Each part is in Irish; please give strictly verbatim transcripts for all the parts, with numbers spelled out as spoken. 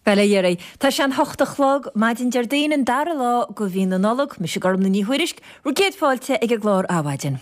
Bhuel, a dheiridh. Tá sé an hocht a chlog, maidin Déardaoin an dara lá de mhí na Nollag, mise Gormlaith Ní Thuairisg, bhur gcéad fáilte ag an gclár Adhmhaidin.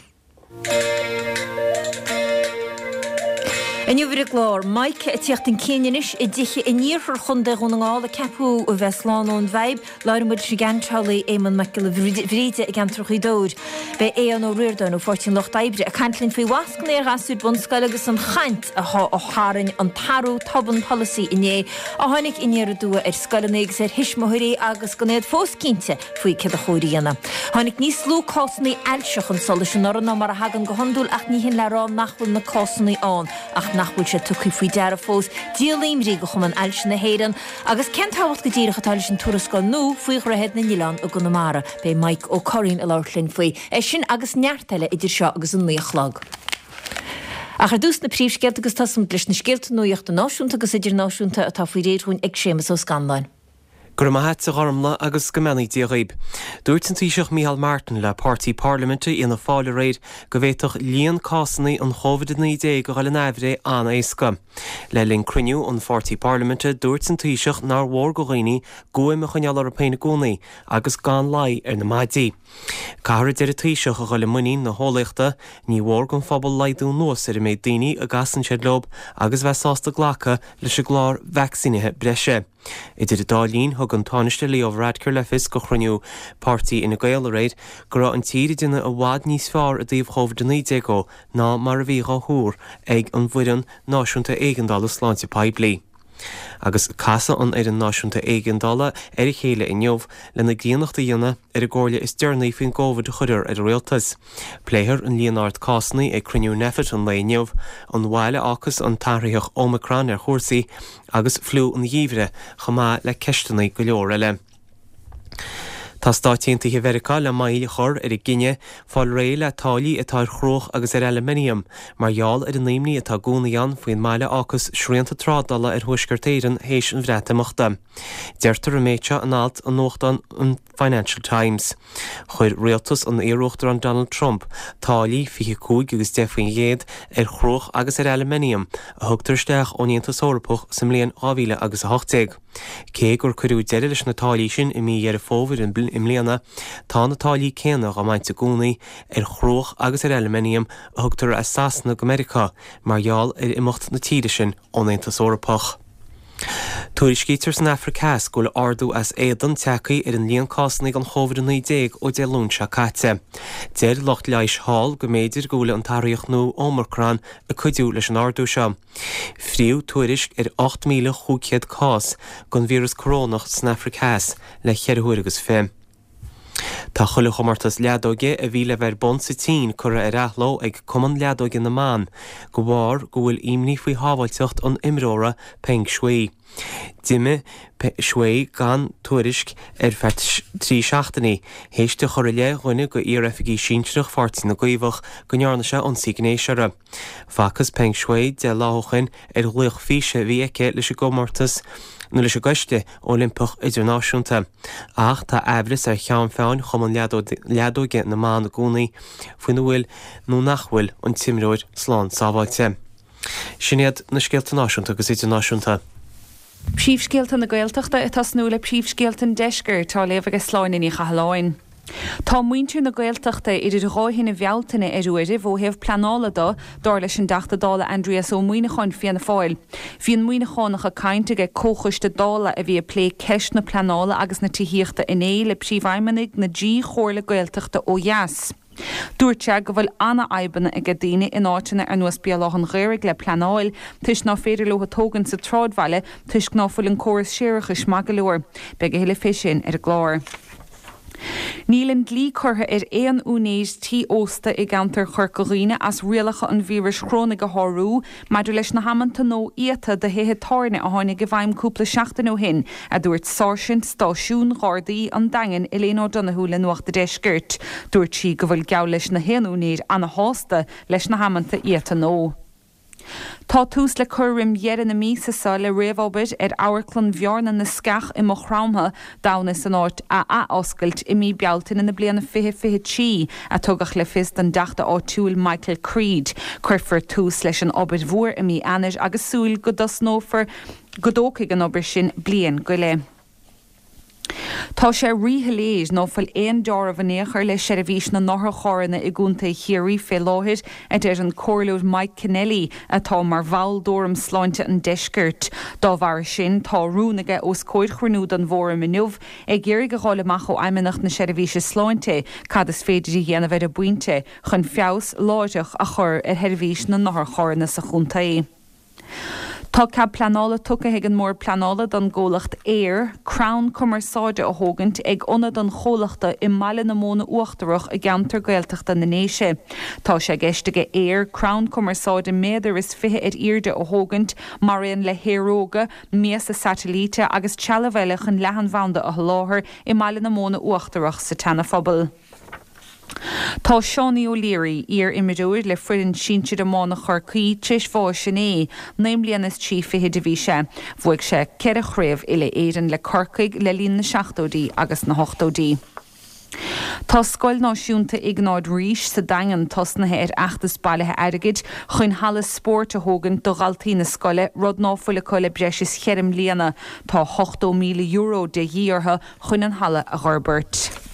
Inniu ar an gclár, Mica ag tíocht chun cinn anois i dtithe in iarthar Chontae Dhún na nGall a ceapadh a bheith slán ón bhfadhb. Labhróidh muid leis an gceantálaí Éamonn Mac Giolla Bhríde i gceantar Ghaoth Dobhair. Beidh Aodhán Ó Ríordáin ó Pháirtí an Lucht Oibre ag caint linn faoi mhascanna ar ghasúir bunscoile agus an chaint atá a tharraing an t-athrú tobann polasaí inné a tháinig aniar aduaidh ar scoileanna agus ar thuismitheoirí agus gan iad fós cinnte faoi céard a chóir a dhéanamh. Tháinig níos lú cásanna ailse chun solais anuraidh ná mar a thagann go hiondúil ach ní hin le rá nach bhfuil na cásanna ann ach nach bhfuil sé tugtha faoi deara fós. Díol imní do Chumann Ailse na hÉireann agus cén tábhacht go díreach atá leis an tuarascáil nua faoi Dhroichead na nOileán i gConamara. Beidh Mike Ó Curraoin ag labhairt linn faoi. É sin agus neart eile idir seo agus an naoi a chlog. Ach ar dtús na príomhscéalta agus tosóimid leis na scéalta nuachta náisiúnta agus idirnáisiúnta atá faoi réir dhúinn ag Séamus Ó Scanláin. Go raibh maith a't a Ghormlaith agus go mbeannaí Dia dhaoib. Dúirt an Taoiseach Micheál Martin le páirtí parlaiminte Fhianna Fáil aréir go bhféadfadh líon cásanna an Chóivid a naoi déag a dhul in aimhréidh an-éasca. Le linn cruinniú an pháirtí parlaiminte dúirt an Taoiseach nár mhór go dhaoine guaim a choinneáil orthu féin i gcónaí agus gan luí ar na maidí. Caithfear a deir an Taoiseach a dhul i muinín na heolaíochta, ní mhór don phobal laghdú anuas ar an méid daoine a gcasann siad leo agus bheith sásta glacadh leis an gclár vacsaínithe breise. Idir an dá linn, thug an Tánaiste Leo Varadkar le fios go chruinniú páirtí Fhine Gael aréir go raibh an tír ag déanamh i bhfad níos fearr i dtaobh Chóivid a naoi déag dhó ná mar a bhí dhá thuar ag an bhFoireann Náisiúnta Éigeandála Sláinte Poiblí. Agus casfaidh an Fhoireann Náisiúnta Éigeandála ar a chéile inniu lena gcríonnacht a dhéanamh ar an gcomhairle is deireanaí faoin gCóivid a chuireadh ar an rialtas. Pléifear an líon ard cásanna ag cruinniú Nphet an lae inniu, an bhail a fhágfas an t-athraitheach Omicron ar chúrsaí agus fliú an gheimhridh, chomh maith le ceisteanna go leor eile. Tá Stáit Aontaithe Mheiriceá le moill a chur ar a gcinneadh fáil réidh le táillí atá ar chruach agus ar aluminium mar gheall ar an imní atá i gcónaí ann faoin mbail a fhágfas srianta trádála ar Thuaisceart Éireann théis an Bhreatimeachta. Deirtear an méid seo in alt i nuachtán an Financial Times. Chuir rialtas an iar-uachtaráin Donald Trump táillí fiche cúig agus deich faoin gcéad ar chruach agus ar aluminium a thugtar isteach ón Aontas Eorpach sa mbliain dhá mhíle agus a hocht déag. Cé gur cuireadh deireadh leis na táillí sin i mí Dheireadh Fómhair i mbliana, tá na táillí céanna á mbaint i gcónaí ar chruach agus ar aluminium a thugtar as Sasana go Meiriceá mar gheall ar imeacht na tíre sin ón Aontas Eorpach. Tuairiscítear san Afraic Theas go bhfuil ardú as éadan tagtha ar an líon cásanna den Chóivid a naoi déag ó Dé Luain seo caite. Deir lucht leighis thall go mb'fhéidir go bhfuil an t-athraitheach nua Omicron ag cuidiú leis an ardú seo. Frítheadh tuairisc ar ocht míle chúig chéad cás den víreas corónach san Afraic Theas le ceithre huaire agus fiche. Tá chuile chomórtas leadóige a bhí le bheith ar bun sa tSín curtha ar athló ag Cumann Leadóige na mBan de bharr go bhfuil imní faoi shábháilteacht an imreora Peng Shuai. D'imigh Shuai gan tuairisc ar feadh trí seachtainí théis di chur i leith dhuine de iar-oifigigh sinsearach Pháirtí na gCaomhach go ndearna sé ionsaí gnéis uirthi. Facthas Peng Shuai deich lá ó shin ar ghlaoch físe a bhí aici leis an gcomórtas nó leis an gCoiste Oilimpeach Idirnáisiúnta. Ach tá aimhreas ar cheann feadhain Chumann Leadóige na mBan i gcónaí faoina bhfuil nó nach bhfuil an t-imreoir slán sábháilte. Sin iad na scéalta náisiúnta agus idirnáisiúnta. Príomhscéalta na Gaeltachta ag tosnú le príomhscéalta an Deiscirt á léamh ag Sláine Ní Chathalláin. Tá muintir na Gaeltachta idir dhá thine Bhealtaine ar uairibh ó thaobh pleanála de, dar leis an dTeachta Dála Aindrias Ó Muimhneacháin, Fianna Fáil. Bhí an Muimhneachánach ag caint ag comhchoiste Dála a bhí ag plé ceist na pleanála agus na tithíochta inné le príomhfheidhmeannaigh na dtrí chomhairle Gaeltachta ó dheas. Dúirt sé go bhfuil ana-fhadhbanna aige daoine in áiteanna ar nós Béal Átha'n Ghaorthaidh le pleanáil toisc ná féidir leo tógaint sa tsráidbhaile toisc ná fuil an córas séarachais maith go leor. Beidh a thuilleadh fé sin ar an gclár. Níl an dlí curtha ar aon úinéir tí ósta i gceantar Chorca Dhuibhne as rialacha an víris chorónaigh a shárú maidir leis na hamanta nua iata do thithe tábhairne a tháinig i bhfeidhm cúpla seachtain ó shin, a dúirt Sáirsint Stáisiún Ghardaí an Daingin Elaine O'Donoghue le Nuacht a' Deiscirt. Dúirt sí go bhfuil geall leis na haon úinéir ana-shásta leis na hamanta iata nua. Tá tús le cur roim dheireadh na míosa seo le réamhobair ar Amharclann Bhearna na Sceach i Maigh Chromtha d'fhonn is an áit a athoscailt i mí Bealtaine na bliana fiche fiche trí, a tugadh le fios don dTeachta áitiúil Michael Creed. Cuirfear tús leis an obair mhór i mí Eanáir agus súil go dtosnófar go dtógfaidh an obair sin bliain go leith. Tá sé ríshoiléir ná fuil aon deáramh in aon chor le seirbhís na n-otharcharranna i gContae Chiarraí fé láthair, a deir an Comhairleoir Mike Kennelly, atá mar bhall d'Fhóram Sláinte an Deiscirt. Dá bharra sin, tá rún aige os comhair chruinniú den bhFóram inniu ag iarraidh a dh'fháil amach ó Fheidhmeannacht na Seirbhíse Sláinte cad is féidir a dhéanamh ar an bpointe chun feabhas láithreach a chur ar sheirbhís na n-otharcharranna sa chontae. Tá cead pleanála tugtha ag an mBord Pleanála don gcomhlacht Eir crann cumarsáide a thógaint ag ionad an chomhlachta i mBaile na Móna Uachtarach i gceantar Gaeltachta na nDéise. Tá sé i gceist aige Eir crann cumarsáide méadar is fiche ar airde a thógaint maraon le haeróga, miasa satailíte agus trealamh eile chun leathanbhanda a sholáthar i mBaile na Móna Uachtarach sa tSeana-Phobal. Tá Seánie O'Leary, iar-imreoir le foireann sinsir iomána Chorcaí, tar éis bháis inné. Naoi mbliana is trí fichid a bhí sé. Bhuaigh sé ceithre chraobh uile-Éireann le Corcaigh le linn na seachtóidí agus na hochtóidí. Tá Scoil Náisiúnta Iognáid Rís sa Daingean tosnaithe ar fheachtas bailithe airgid chun halla spóirt a thógaint do dhaltaí na scoile, rud ná fuil acu le breis is cheithre mbliana. Tá ochtó míle euro de dhíth orthu chun an halla a dh'fhorbairt.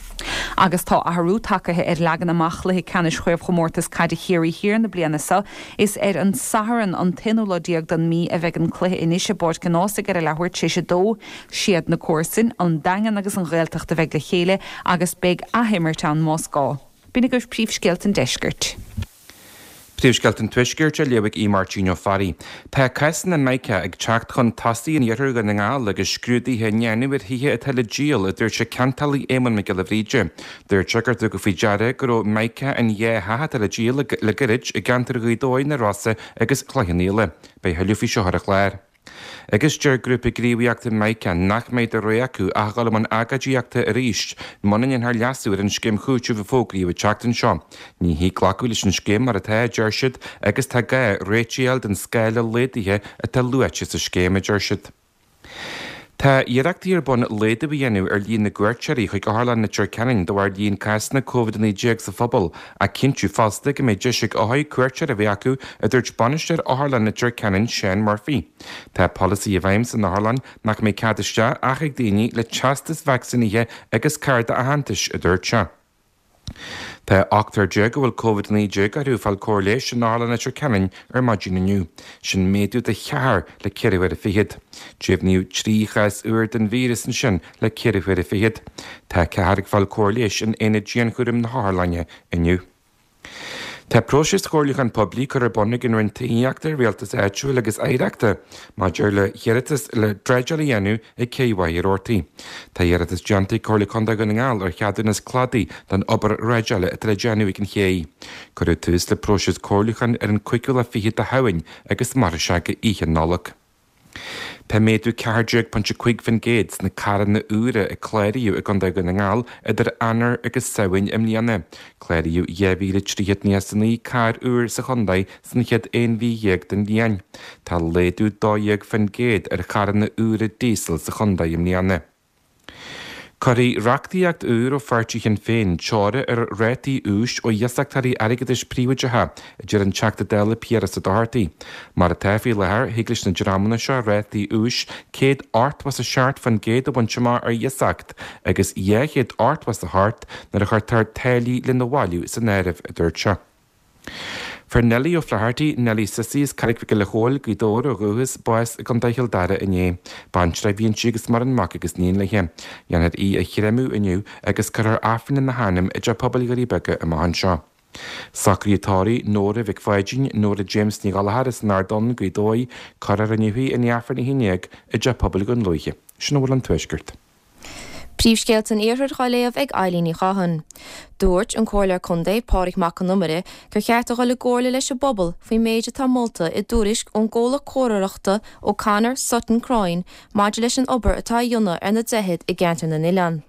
Agus tá athrú tagtha ar leagan amach chluiche ceannais Chraobhchomórtas Caide Chiarraí Thiar na bliana seo. Is ar an Satharn an t-aonú lá déag den mí a bheidh an cluiche anois i bPáirc an Ághasaigh ar a leathuair tar éis a dó. Siad na comharsain, an Daingean agus an Ghaeltacht a bheidh le chéile agus beidh athimirt ann más gá. B'in agaibh príomhscéalta an deiscirt. Príomhscéalta an Tuaiscirt á léamh ag Aodh Máirtín Ó Fearraigh. Tá cásanna Mica ag teacht chun tosaigh in iarthar Dhún na nGall agus scrúduithe á ndéanamh ar thithe atá le díol, a dúirt an ceantálaí Éamonn Mac Giolla Bhríde. Dúirt sé gur tugadh faoi deara go raibh Mica in dhá theach atá le díol le gairid i gceantar Ghaoth Dobhair, na Rosa agus Chloich Cheann Fhaola. Beidh thuilleadh faoi seo ar an chlár. Agus deir grúpa gníomhaíochta Mica nach mbeidh de rogha acu ach dul i mbun agóidíochta arís muna ndéanfar leasú ar an scéim chúitimh a fógraíodh an tseachtain seo. Ní thig glacadh leis an scéim mar atá, a deir siad, agus tá gá réitigh a fháil don scála laghdaithe atá luaite sa scéim, a deir siad. Tá iarrachtaí ar bun laghdú a dhéanamh ar líon na gcuairteoirí chuig Otharlann Leitir Ceanainn de bharr líon cásanna Covid a naoi déag sa phobal, ach cinntiú fosta go mbeidh deis ag othair cuairteoir a bheith acu, a dúirt bainisteoir Otharlann Leitir Ceanainn, Seán Murphy. Tá polasaí i bhfeidhm san otharlann nach mbeidh cead isteach ach ag daoine le teastas vacsaínithe agus cárta aitheantais, a dúirt sé. Tá ochtar déag a bhfuil Covid a naoi déag orthu ag fáil cóir leighis in Otharlann Leitir Ceanainn ar maidin inniu. Sin méadú de cheathrar le ceithre huaire fichead. Deimhníodh trí chás úr den víreas ansin le ceithre huaire fichead. Tá ceathrar ag fáil cóir leighis in aonad dianchúraim na hotharlainne inniu. Tá próiseas comhairliúcháin poiblí curtha ar bun ag an Roinn Tithíochta, Rialtais Áitiúil agus Oidhreachta maidir le hiarratas le dreideáil a dhéanamh ag Cé Mhachaire Rabhartaigh. Tá iarratas déanta ag Comhairle Contae Dhún na nGall ar cheadúnas cladaigh don obair dhreideála atá le déanamh ag an ché. Cuireadh tús le próiseas comhairliúcháin ar an cúigiú lá fichead de Shamhain agus mairfidh sé go Oíche Nollag. Tá méadú ceathair déag pointe cúig faoin gcéad sna carranna úra a cláraíodh i gContae Dhún na nGall idir Eanáir agus Samhain i mbliana. Cláraíodh dhá mhíle trí chéad nócha is a naoi carr úr sa chontae san chéad aon mhí dhéag den bhliain. Tá laghdú dó dhéag faoin gcéad ar charranna úra díosail sa chontae i mbliana. Cuirfidh reachtaíocht úr ó pháirtí Shinn Féin teora ar rátaí úis ó iasachtóirí airgeadais príobháideacha, a deir an Teachta Dála Piaras Ó Dochartaigh. Mar atá faoi láthair, thig leis na dreamanna seo rátaí úis céad ochtó is a seacht faoin gcéad a bhaint amach ar iasacht agus dhá chéad ochtó is a hocht nuair a chuirtear táillí lena bhailiú san áireamh, a dúirt sé. Fuair Nellie O'Flaherty, Nellie Sissy as Carraig Mhic Giolla Chóill, Gaoth Dobhair ó dhúchas, bás i gContae Chill Dara inné. Baintreach a bhí inti agus maireann mac agus iníon léi. Dhéanfar í a chréamadh inniu agus cuirfear Aifreann ina hainm i dTeach Pobail Dhoirí Beaga amach anseo. Socruithe tórraimh Nóra Mhic Pháidín, Nóra James Ní Ghallchóir as an Ard Donn, Gaoth Dobhair, cuirfear inniu í i ndiaidh Aifreann a haon déag i dTeach Pobail Dhún Lúiche. Sin a bhfuil ón Tuaisceart. Príomhscéalta an Iarthair á léamh ag Eilín Ní Chatháin. Dúirt an Comhairleoir Contae, Pádraig Mac Con Iomaire, gur cheart a dhul i gcomhairle leis an bpobal faoin méid atá molta i dtuairisc ón gcomhlacht comhairleoireachta O'Connor Sutton Croyne maidir leis an obair atá á dhéanamh ar na droichid i gceantar na nOileán.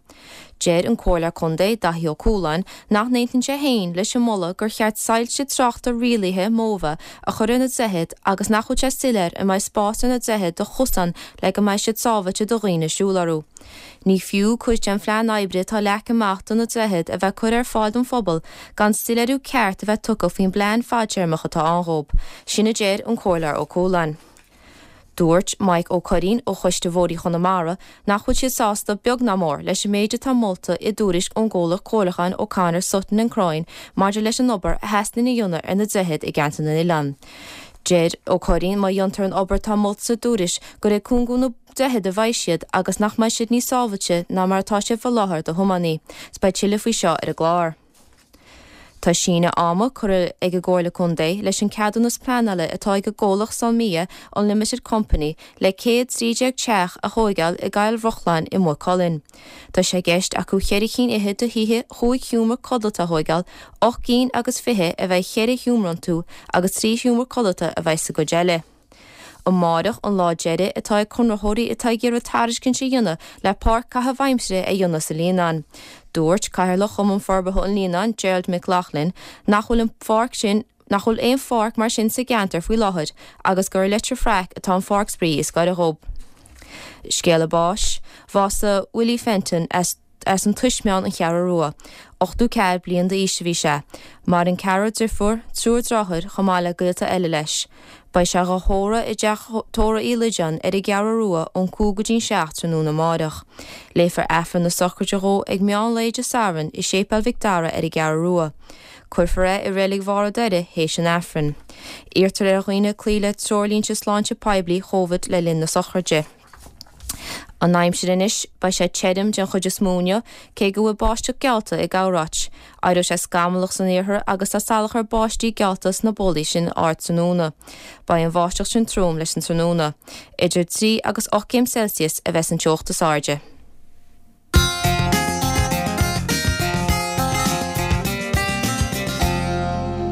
Deir an Comhairleoir Contae, Daithí Ó Cualáin, nach n-aontaíonn sé féin leis an moladh gur cheart soilse tráchta rialaithe móimhe a chur ar na droichid agus nach bhfuil sé soiléir an mbeidh spás ar na droichid do chosáin le go mbeidh siad sábháilte do dhaoine siúl orthu. Ní fiú cuid den phlean oibre atá leagtha amach do na droichid a bheith curtha ar fáil don phobal gan soiléiriú ceart a bheith tugtha faoin bplean fadtéarmach atá ann dhóibh. Sin a deir an Comhairleoir Ó Cualáin. Dúirt Mike Ó Curraoin ó Choiste Bhóithre Chonamara nach bhfuil siad sásta beag ná mór leis an méid atá molta i dtuairisc ón gcomhlacht comhairliúcháin O'Connor Sutton and Croyne maidir leis an obair a theastaíonn a dhéanamh ar na droichid i gceantar na n-oileán. Deir Ó Curraoin má dhéantar an obair atá molta sa dtuairisc gur ag cúngú na droichead a bheidh siad agus nach mbeidh siad níos sábháilte ná mar atá siad faoi láthair do thiománaí. 'S beidh tuilleadh faoi seo ar an gclár. Tá síneadh ama curtha ag an gComhairle Contae leis an ceadúnas pleanála atá ag an gcomhlacht Solmia Unlimited Company le céad trí déag teach a thóigeáil i gCoill Bhrocláin i Maigh Cuilinn. Tá sé i gceist acu cheithre cinn fhichead de thithe chúig sheomra codlata a thóigeáil, ocht gcinn agus fiche a bheidh cheithre sheomra iontu agus trí sheomra codlata a bheidh sa gcuid eile. Amárach an lá deiridh atá ag conraitheoirí atá ag iarraidh tairiscint a dhéanamh le páirc caitheamh aimsire a dhéanamh sa Líonán. Dúirt Cathaoirleach Chumann Forbartha an Líonáin, Gerald McLaughlin, nach bhfuil an pháirc sin nach bhfuil aon pháirc mar sin sa gceantar faoi láthair agus gur i Leitir Fraic atá an pháirc spraoi is gaire dhóibh. Scéala báis, Bhásaigh Willie Fenton as as an Tuismeán an Cheathrú Rua. ochtó ceathair bliain d'aois a bhí sé. Maireann ceathrar deirfiúr, triúr deartháir chomh maith le gaolta eile leis. Beidh sé dhá thórramh i dteach tórraimh Uí Loideáin ar an gCeathrú Rua ón cúig go dtí'n seacht tráthnóna amáireach. Léifear Aifreann na sochraide dhó ag meán lae Dé Sathairn i Séipéal Mhic Dara ar an gCeathrú Rua. Cuirfear é i Reilig Bharr an Doire théis an Aifrinn. Iarrtar ar dhaoine cloí le treoirlínte sláinte poiblí Covid le linn na sochraide. An aimsir anois, beidh sé tirim den chuid is mó inniu, cé go bhfuil báisteach geallta i gcorráit. Éireoidh sé scamallach san iarthar agus tá salachar báistí geallta sna bólaí sin ardtráthnóna. Beidh an bháisteach sin trom leis an tráthnóna. Idir trí agus ocht gcéim Celsius a bheas an teocht is airde.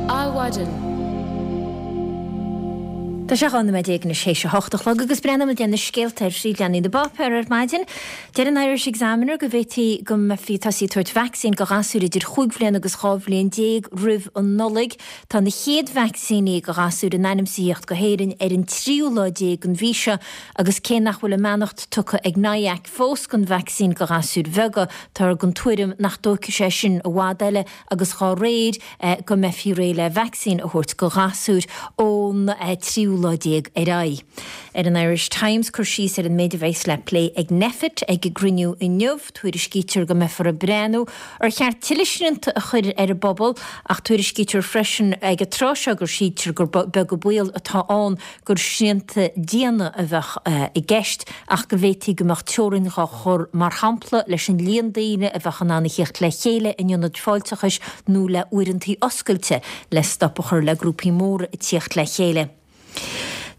Adhmhaidin. Tá sé dhá nóiméad déag anois théis a hocht a chlog agus breathnóimid ar na scéalta ar phríomhleathanaigh na bpáipéar ar maidin. Deir an Irish Examiner go bhféadfaí go mbeifí ag tosaí ag tabhairt vacsaín go ghasúir idir chúig bhliain agus dhá bhliain déag roimh an Nollaig. Tá na chéad vacsaíní go ghasúir in ainm is a thíocht go hÉirinn ar an tríú lá déag den mhí seo agus cé nach bhfuil a mbeannacht tugtha ag NIAC fós don vacsaín go ghasúir bheaga, táthar den tuairim nach dtógfaidh sé sin i bhfad eile agus dhá réir go mbeifí réidh le vacsaín a thabhairt go ghasúir ón tríú lá déag ar aghaidh. Ar an Irish Times cur síos ar an méid a bheas le plé ag Nphet ag a gcruinniú inniu, tuairiscítear go mbeifear ag breathnú ar cheart tuilleadh srianta a chur ar an bpobal ach tuairiscítear freisin ag an tráth seo gur síltear gur beag an baol atá ann gur srianta diana a bheadh i gceist ach go bhféadfaí go mbeadh teorainn dhá chur mar shampla leis an líon daoine a bheadh in ann a thíocht le chéile in ionaid fáilteachais nó le uaireantaí oscailte le stop a chur le grúpaí móra ag tíocht le chéile.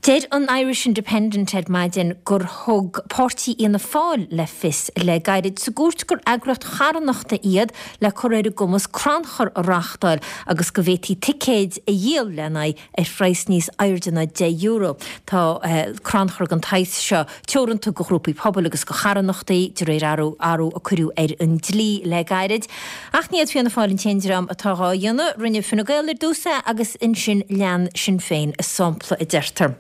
Deir an Irish Independent ar maidin gur thug páirtí Fhianna Fáil le fios le gairid sa gcúirt gur eagraíocht charthanachta iad le cur ar a gcumas crannchur a reáchtáil agus go bhféadfaí ticéid a dhíol lena n-aghaidh ar phraghas níos airde ná deich euro. Tá crannchur den tsaghas seo teoranta go ghrúpaí pobail agus go charthanachtaí, de réir athrú athrú a cuireadh ar an dlí le gairid. Ach ní hiad Fianna Fáil an t-aon dream atá dhá dhéanamh. Rinne Fine Gael ar dtús é agus ansin lean Sinn Féin a sampla, a deirtear.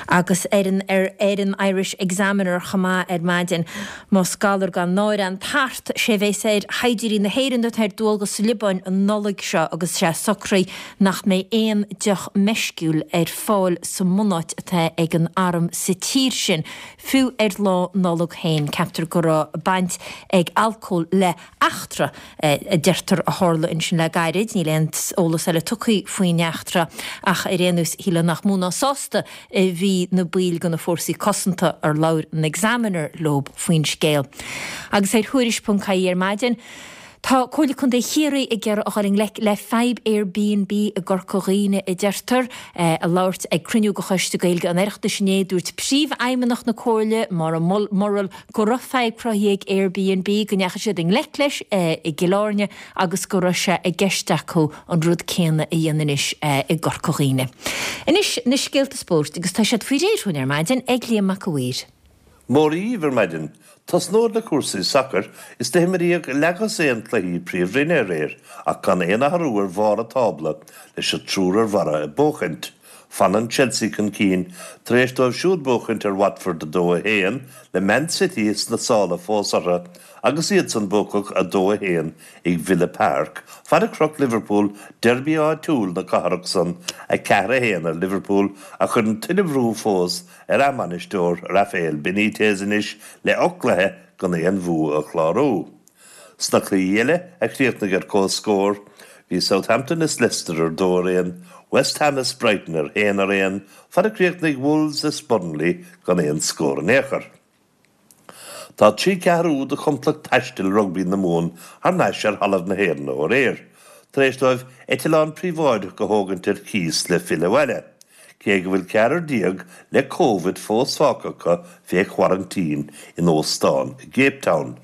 Agus ar an ar an Irish Examiner chomh maith ar maidin, más galar gan náire an tart, sé bhéas ar shaighdiúirí na hÉireann atá ar dualgas sa Liobáin an Nollaig seo agus sé socraithe nach mbeidh aon deoch meisciúil ar fáil sa mbunáit atá ag an arm sa tír sin, fiú ar lá Nollag féin. Ceaptar go raibh baint ag alcól le heachtra a deirtear a tharla ansin le gairid. Níl aon eolas eile tugtha faoin eachtra ach ar aon nós shílfeá nach mó ná sásta a bhí na baill de na fórsaí cosanta ar labhair an Examiner leo faoin scéal. Agus ar Thuairisc ponc ie ar maidin, tá Comhairle Contae Chiarraí ag iarraidh a dhul i ngleic le fadhb Airbnb i gCorca Dhuibhne, a deirtear. Ag labhairt ag cruinniú de Choiste Gaeilge an Oireachtais inné, dúirt Príomhfheidhmeannach na Comhairle, Maura Murrell, go raibh fadhb cruthaithe ag Airbnb, go ndeachaigh siad i ngleic leis i gCill Airne agus go raibh sé i gceist acu an rud céanna a dhéanamh anois i gCorca Dhuibhne. Anois na scéalta spóirt agus tá siad faoi réir dhúinn ar maidin ag Liam Mac a' Mhaoir. Mora dhaoibh ar maidin. Tosnód le cúrsaí sacair is do himríodh leathdhosaen cluichí príomhroinne aréir ach gan aon athrú ar bharr an tábla leis an triúr ar barra ag buachaint. Fanann Chelsea chun cinn tar éis dóibh siúd buachaint ar Watford a dó a haon le Man City sna sála fós orthu agus iadsan buacach a dó a haon ag Villa Park, fad a chroch Liverpool deirby áitiúil na cathrach san a ceathair a haon ar Liverpool a chuireann tuilleadh brú fós ar a mbainisteoir Rafael Benitez anois le ocht gcluiche gan aon bhua a chlárú. Sna cluichí eile a chríochnaigh ar comhscór, bhí Southampton is Leicester ar dó ar aon, West Ham is Brighton ar haon ar aon, fad a chríochnaigh Wolves is Burnley gan aon scór in aon chor. Tá trí ceathrú de chomplacht taistil rugbaí na Mumhan thar n-ais ar thalamh na hÉireann ó aréir, tar éis dóibh eitleán príobháideach a thógaint ar cíos le filleadh abhaile, cé go bhfuil ceathrar déag le Covid fós fágtha acu fé choraintín in óstán i gCape Town.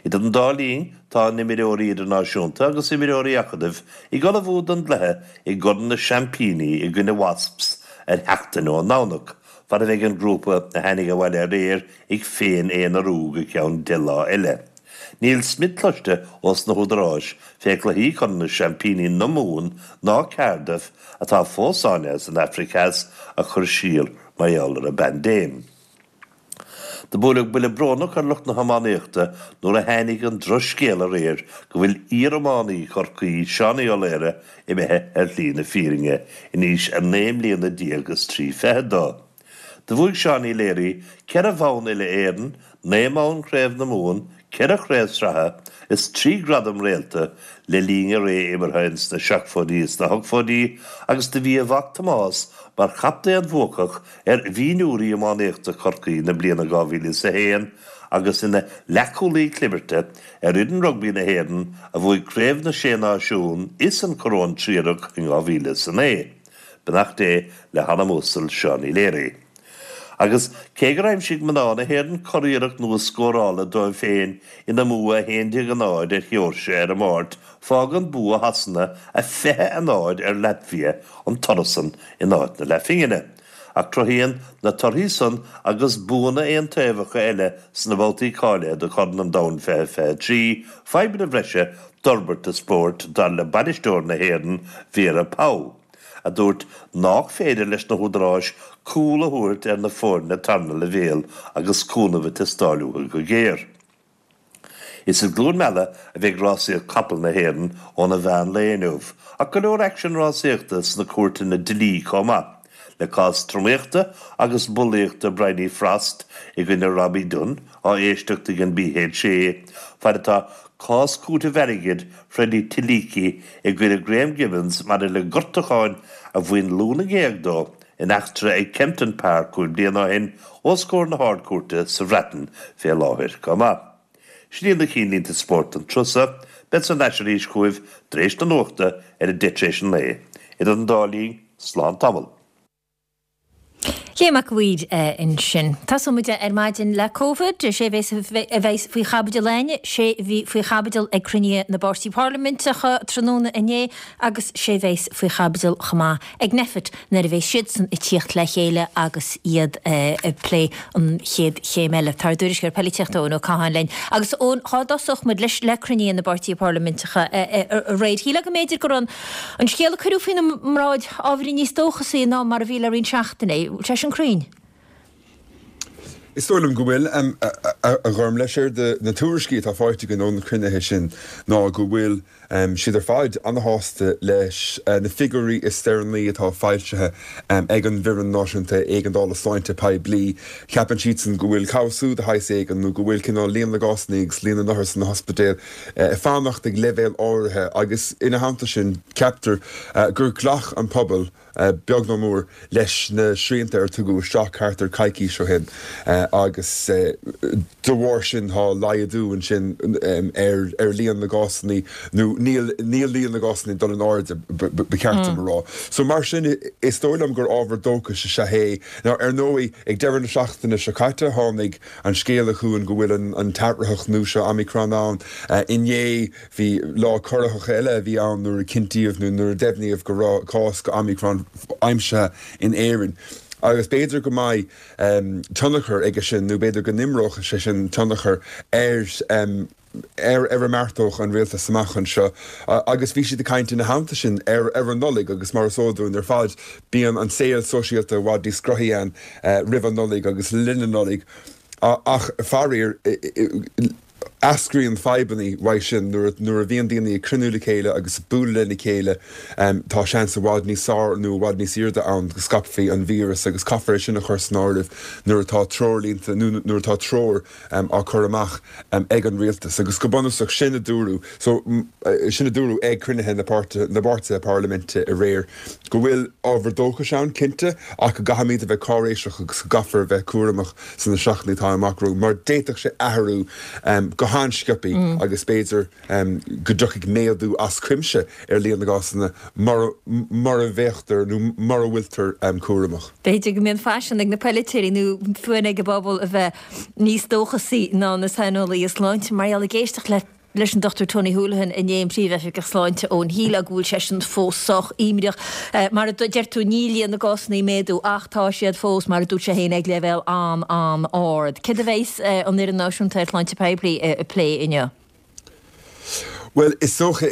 Idir an dá linn tá a n-imreoirí idirnáisiúnta agus imreoirí acadaimh ag ullmhú don gcluiche i gCorn na Seaimpíní i gcoinne Wasps ar sheachtain ón nDomhnach, fad a bheidh an grúpa a tháinig abhaile aréir ag féin-aonarú go ceann deich lá eile. Níl smid cloiste ós na húdaráis fé chluichí Chorn na Seaimpíní na Mumhan ná Cardiff atá fós sáinnithe san Afraic Theas a chur siar mar gheall ar an bpaindéim. Do buaileadh buille brónach ar lucht na hiománaíochta nuair a tháinig an drochscéal aréir go bhfuil iar-iománaí Chorcaí Seánie Ó Laoire imithe ar shlí na fírinne in aois a naoi mbliana déag is trí fichid dó. Do bhuaigh Seánie Leary ceithre bhonn uile-Éireann, naoi mbonn Chraobh na Mumhan, ceithre chraobh sraithe is trí ghradam réalta le linn a ré imeartha ins na seachtóidí is na hochtóidí agus do bhí a mhac Tomás mar chaptaen bhuacach ar mhionúirí iománaíochta Chorcaí na bliana dhá mhíle is a haon agus ina leathchúlaí clibirte ar fhoireann rugbaí na hÉireann a bhuaigh Craobh na Sé Náisiún is an Coróin Triarach in dhá mhíle is a naoi. Beannacht Dé le hanam uasal Seánie Leary. Agus cé gur aimsigh mná na hÉireann curiarracht nua scórála dóibh féin ina mbua a haon déag a náid ar Sheoirsia ar an Máirt, fágann bua Shasana a fiche a náid ar Laitvia an toradh san in áit na leathphingine. Ach cruthaíonn na torthaí san agus buanna aontaobhacha eile sna babhtaí cáilithe do Chorn an Domhain fiche fiche trí fadhbanna bhreise d'fhorbairt an spóirt, dar le bainisteoir na hÉireann, Vera Pauw. a dúirt nách féidir leis na húdaráis cúl a thabhairt ar na foirne tarna leibhéal agus cúnamh ag teastáil uathu go géar. Is i gCluain Meala a bheidh rásaíocht capall na hÉireann óna mheán lae inniu, ach go leor aicsean rásaíochta sna cúirteanna dlí chomh maith, le cás tromaíochta agus bulaíochta Bryony Frost i gcoinne Robbie Dunne á éisteacht ag an BHA, fad atá cás cúitimh airgid Freddy Tiliki i gcoinne Graham Gibbons maidir le gortúcháin a bhain lú na ngéag dó in eachtra ag Kempton Park cúig bliana ó shin os comhair na hArd-Chúirte sa Bhreatain fé láthair chomh maith. Sin iad na cinnlínte spóirt don tráth seo. Beadsa ar ais arís chugaibh tar éis na nuachta ar a deich tar éis a naoi. Idir an dá linn, slán tamall. Liam Mac a' Mhaoir ansin. Tosóidh muid ar maidin le Covid, sé a bheas faoi chaibidil againne, sé a bhí faoi chaibidil ag cruinniú na bpáirtí parlaiminteacha tráthnóna inné agus sé a bheas faoi chaibidil chomh maith ag Nphet nuair a bheas siadsan ag tíocht le chéile agus iad ag plé an chéad chéim eile. Tá ár dtuairisceoir polaitíochta Eoin Ó Catháin linn. Agus Eoin, cá dtosódh muid leis le cruinniú na bpáirtí parlaiminteacha aréir? Shílfeá go mb'fhéidir go raibh an scéal a cuireadh faoina mbráid ábhairín níos dóchasaí ná mar a bhí le roinnt seachtainí. Bhfuil sé sin cruinn? Is dóigh liom go bhfuil, a Ghormfhlaith. Séard na tuairiscí atá faighte againn ó na cruinnithe sin ná go bhfuil siad ar fad ana-shásta leis na figiúirí is deireanaí atá foilsithe ag an bhFoireann Náisiúnta Éigeandála Sláinte Poiblí. Ceapann siadsan go bhfuil cobhsú de shaghas éigin nó go bhfuil cineál líon na gcásanna agus líon na n-othar sna hospidéil ag fanacht ag leibhéal áirithe agus ina theannta sin ceaptar gur ghlac an pobal beag nó mór, leis na srianta ar tugadh isteach thart ar coicís ó shin agus de bharr sin tá laghdú ansin ar líon na gcásanna nó níl níl líon na gcásanna ag dul in airde, ba cheart dom a rá. So mar sin is dóigh liom gur ábhar dóchais is ea é. Now ar ndóigh ag deireadh na seachtaine seo caite tháinig an scéala chugainn go bhfuil an t-athraitheach nua seo Omicron ann. Inné Bhí lá corraitheach eile a bhí ann nuair a cinntíodh nó nuair a deimhníodh go raibh cás de Omicron aimsithe in Éirinn. Agus b'fhéidir go mbeidh tionchar aige sin nó b'fhéidir go n-imreodh sé sin tionchar ar ar ar a mbeartódh an rialtas amach anseo. Agus bhí siad ag caint ina theannta sin ar ar an Nollaig agus mar is eol dúinn ar fad bíonn an saol sóisialta i bhfad níos grothaí ann roimh an Nollaig agus le linn na Nollag. Ach faraor, eascraíonn fadhbanna uaidh sin nuair nuair a bhíonn daoine ag cruinniú le chéile agus ag bualadh lena chéile tá seans i bhfad níos fearr nó i bhfad níos airde ann go scaipfí an víreas agus caithfear é sin a chur san áireamh nuair atá treoirlínte nó nuair atá treoir á cur amach ag an rialtas agus go bunúsach sin a dúradh so sin a dúradh ag cruinnithe na páirtithe na bpáirtithe parlaiminte aréir go bhfuil ábhar dóchais ann cinnte ach go gcaithfimid a bheith cáiréiseach agus go gcaithfear a bheith cúramach sna seachtainí atá amach romhainn mar d'fhéadfadh sé athrú go han-sciobtha agus b'fhéidir go dtiocfaidh méadú as cuimse ar líon na gcásanna mura bhféachtar nó mura bhfuiltear cúramach. B'fhéidir go mbíonn faisean ag na polaiteoirí nó fonn ag an bpobal a bheith níos dóchasaí ná na saineolaithe sláinte mar gheall ag éisteacht le leis an Dochtúir Tony Holohan inné, an Príomhoifigeach Sláinte ón shílfeá go bhfuil seisean fós sách imníoch. Mar a deir tú, níl líon na gcásanna ag méadú ach tá siad fós, mar a dúirt sé féin, ag leibhéal an-an-ard. Céard a bheas an Fhoireann Náisiúnta ar Shláinte Poiblí ag plé inniu? Bhuel, is dócha,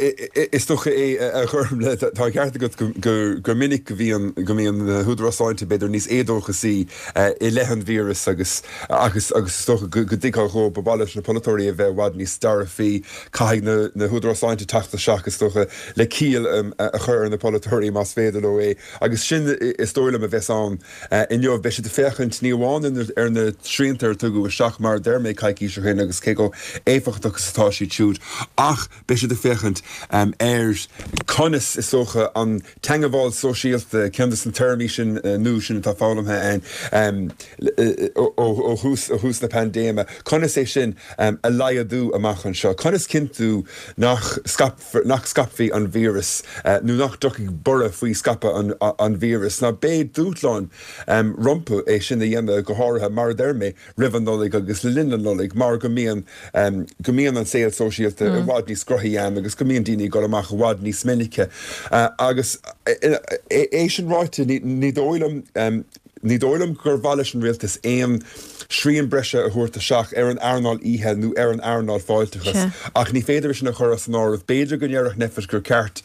is dócha é a Ghormfhlaith, tá an ceart agat gur minic go mbíonn, go mbíonn na húdaráis sláinte b'fhéidir níos éadóchasaí i leith an víreas agus, agus, agus is dócha go dtuigfeá dhóibh, ba mhaith leis na polaiteoirí a bheith i bhfad níos dearfaí, caithfidh na, na húdaráis sláinte teacht isteach is dócha le ciall a chur ar na polaiteoirí más féidir leo é agus sin is dóigh liom a bheas ann inniu. Beidh siad ag féachaint ní amháin ar na srianta a tugadh isteach mar a deir mé coicís ó shin agus cé chomh éifeachtach is atá siad siúd ach beidh siad ag féachaint ar conas, is dócha, an teagmháil sóisialta, ceann de na téarmaí sin nua sin atá foghlamtha againn ó thús ó thús na paindéime, conas é sin a laghdú amach anseo, conas cinntiú nach nach scaipfí an víreas nó nach dtiocfaidh borradh faoi scaipeadh an víris. Ná beidh dúshlán rompu é sin a dhéanamh, go háirithe, mar a deir mé, roimh an Nollaig agus le linn na Nollag mar go mbíonn go mbíonn an saol sóisialta i bhfad níos grothaí ann agus go mbíonn daoine ag dul amach i bhfad níos minice. Agus é sin ráite, ní dóigh liom ní dóigh liom gur mhaith leis an rialtas aon srian breise a thabhairt isteach ar an earnáil oíche nó ar an earnáil fáilteachais ach ní féidir é sin a chur as an áireamh. B'fhéidir go ndéarfadh Nphet gur ceart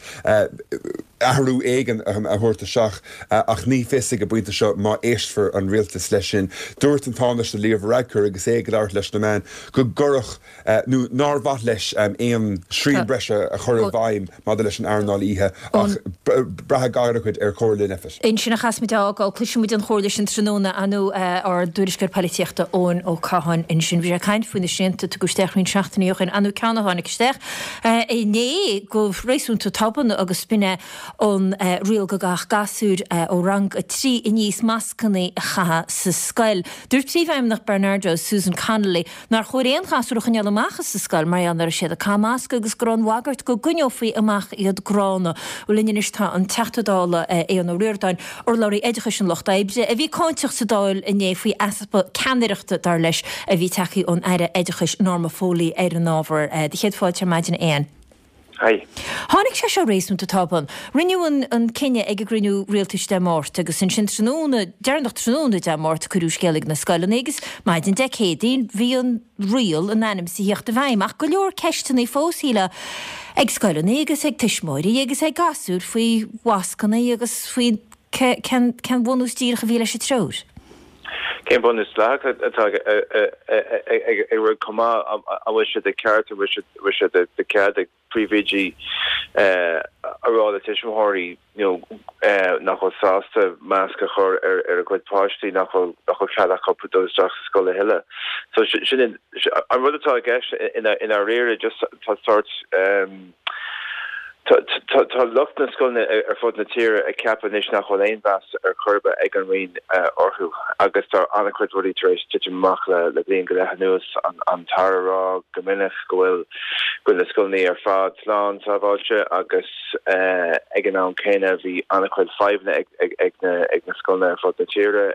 athrú éigin a thabhairt isteach ach ní fios ag an bpointe seo má éistfear an rialtas leis sin. Dúirt an Tánaiste Leo Varadkar agus é ag labhairt leis na meáin go gcuirfeadh nó nár mhaith leis aon srian breise a chur i bhfeidhm maidir leis an earnáil oíche ach braithfidh an-chuid ar chomhairle Nphet. Ansin a chaithfeas muid a fhágáil. Cloisfidh muid an chomhairle sin tráthnóna ar ndóigh ár dtuairisceoir polaitíochta Eoin Ó Catháin ansin. Bhí sé ag caint faoi na srianta a tugadh isteach roinnt seachtainí ó shin. Ar ndóigh ceann a tháinig isteach inné go réasúnta tobann agus b'in é an riail go gcaithfeadh gasúir ó rang a trí aníos mascanna a chaitheamh sa scoil. Dúirt Príomhfheidhmeannach Barnardo's, Susan Connolly, nár chóir aon ghasúr a choinneáil amach as an scoil mar gheall nach raibh siad ag caitheamh masc agus go raibh an bhagairt go gcoinneofaí amach iad gránna. Linn anois tá an Teachta Dála Aodhán Ó Ríordáin, urlabhraí oideachais an Lucht Oibre, a bhí cáinteach sa Dáil inné faoi easpa ceannaireachta, dar leis, a bhí tagtha ón Aire Oideachais Norma Foley ar an ábhar. Do chéad fáilte ar maidin, a Aodháin. Hi. Tháinig sé seo réasúnta tobann. Rinneadh an cinneadh ag an gcruinniú rialtais Dé Máirt agus ansin tráthnóna deireanach tráthnóna Dé Máirt cuireadh scéal ag na scoileanna agus maidin Dé Céadaoin bhí an riail in ainm is a theacht i bhfeidhm ach go leor ceisteanna fós, shílfeá, ag scoileanna agus ag tuismitheoirí agus ag gasúir faoi mhascanna agus faoi cén bunús díreach a bhí leis an treoir. Cén bunús dleathach atá ag rud chomh maith, an bhfuil sé de cheart, an bhfuil sé de chead ag príomhoidí a rá le tuismitheoirí nach bhfuil sásta masc a chur ar a gcuid páistí nach bhfuil nach bhfuil cead acu dul isteach sa scoil a thuilleadh. So sin an rud atá i gceist i ndáiríre, just tá sórt Tá lucht na scoileanna ar fud na tíre ag ceapadh anois nach bhfuil aon mheas ar chor ar bith ag an Roinn orthu agus tá an-chuid rudaí tar éis titim amach le bliain go leith anuas, an tAire ag rá go minic go bhfuil go bhfuil na scoileanna ar fad slán sábháilte agus ag an am céanna bhí an-chuid fadhbanna ag na scoileanna ar fud na tíre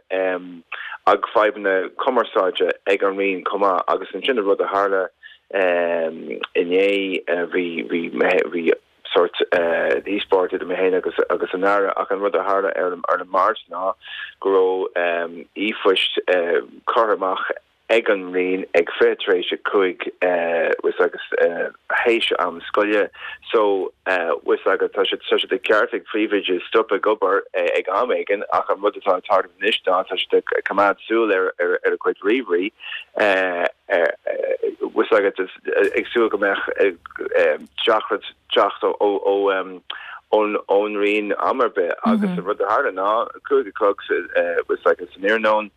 ag fadhbanna cumarsáide ag an Roinn chomh maith agus ansin an rud a tharla inné bhí bhí bhí sort díospóireacht idir mé féin agus agus an Aire ach an rud a tharla ar ar an Máirt ná go raibh e-phoist curtha amach ag an Roinn ag fiche tar éis a cúig bhfuil 's agat théis am scoile so bhfuil 's agat tá sé tá sé de cheart ag príomhoide stop ag obair ag am éigin ach an rud atá ag tarlú anois ná tá siad ag coimeád súil ar ar ar a gcuid ríomhairí bhfuil 's agat ag súil go mbeadh teachtaireacht teacht ó ó ón ón Roinn am ar bith agus an rud a tharla ná cúig a chlog bhfuil 's agat san iarnóin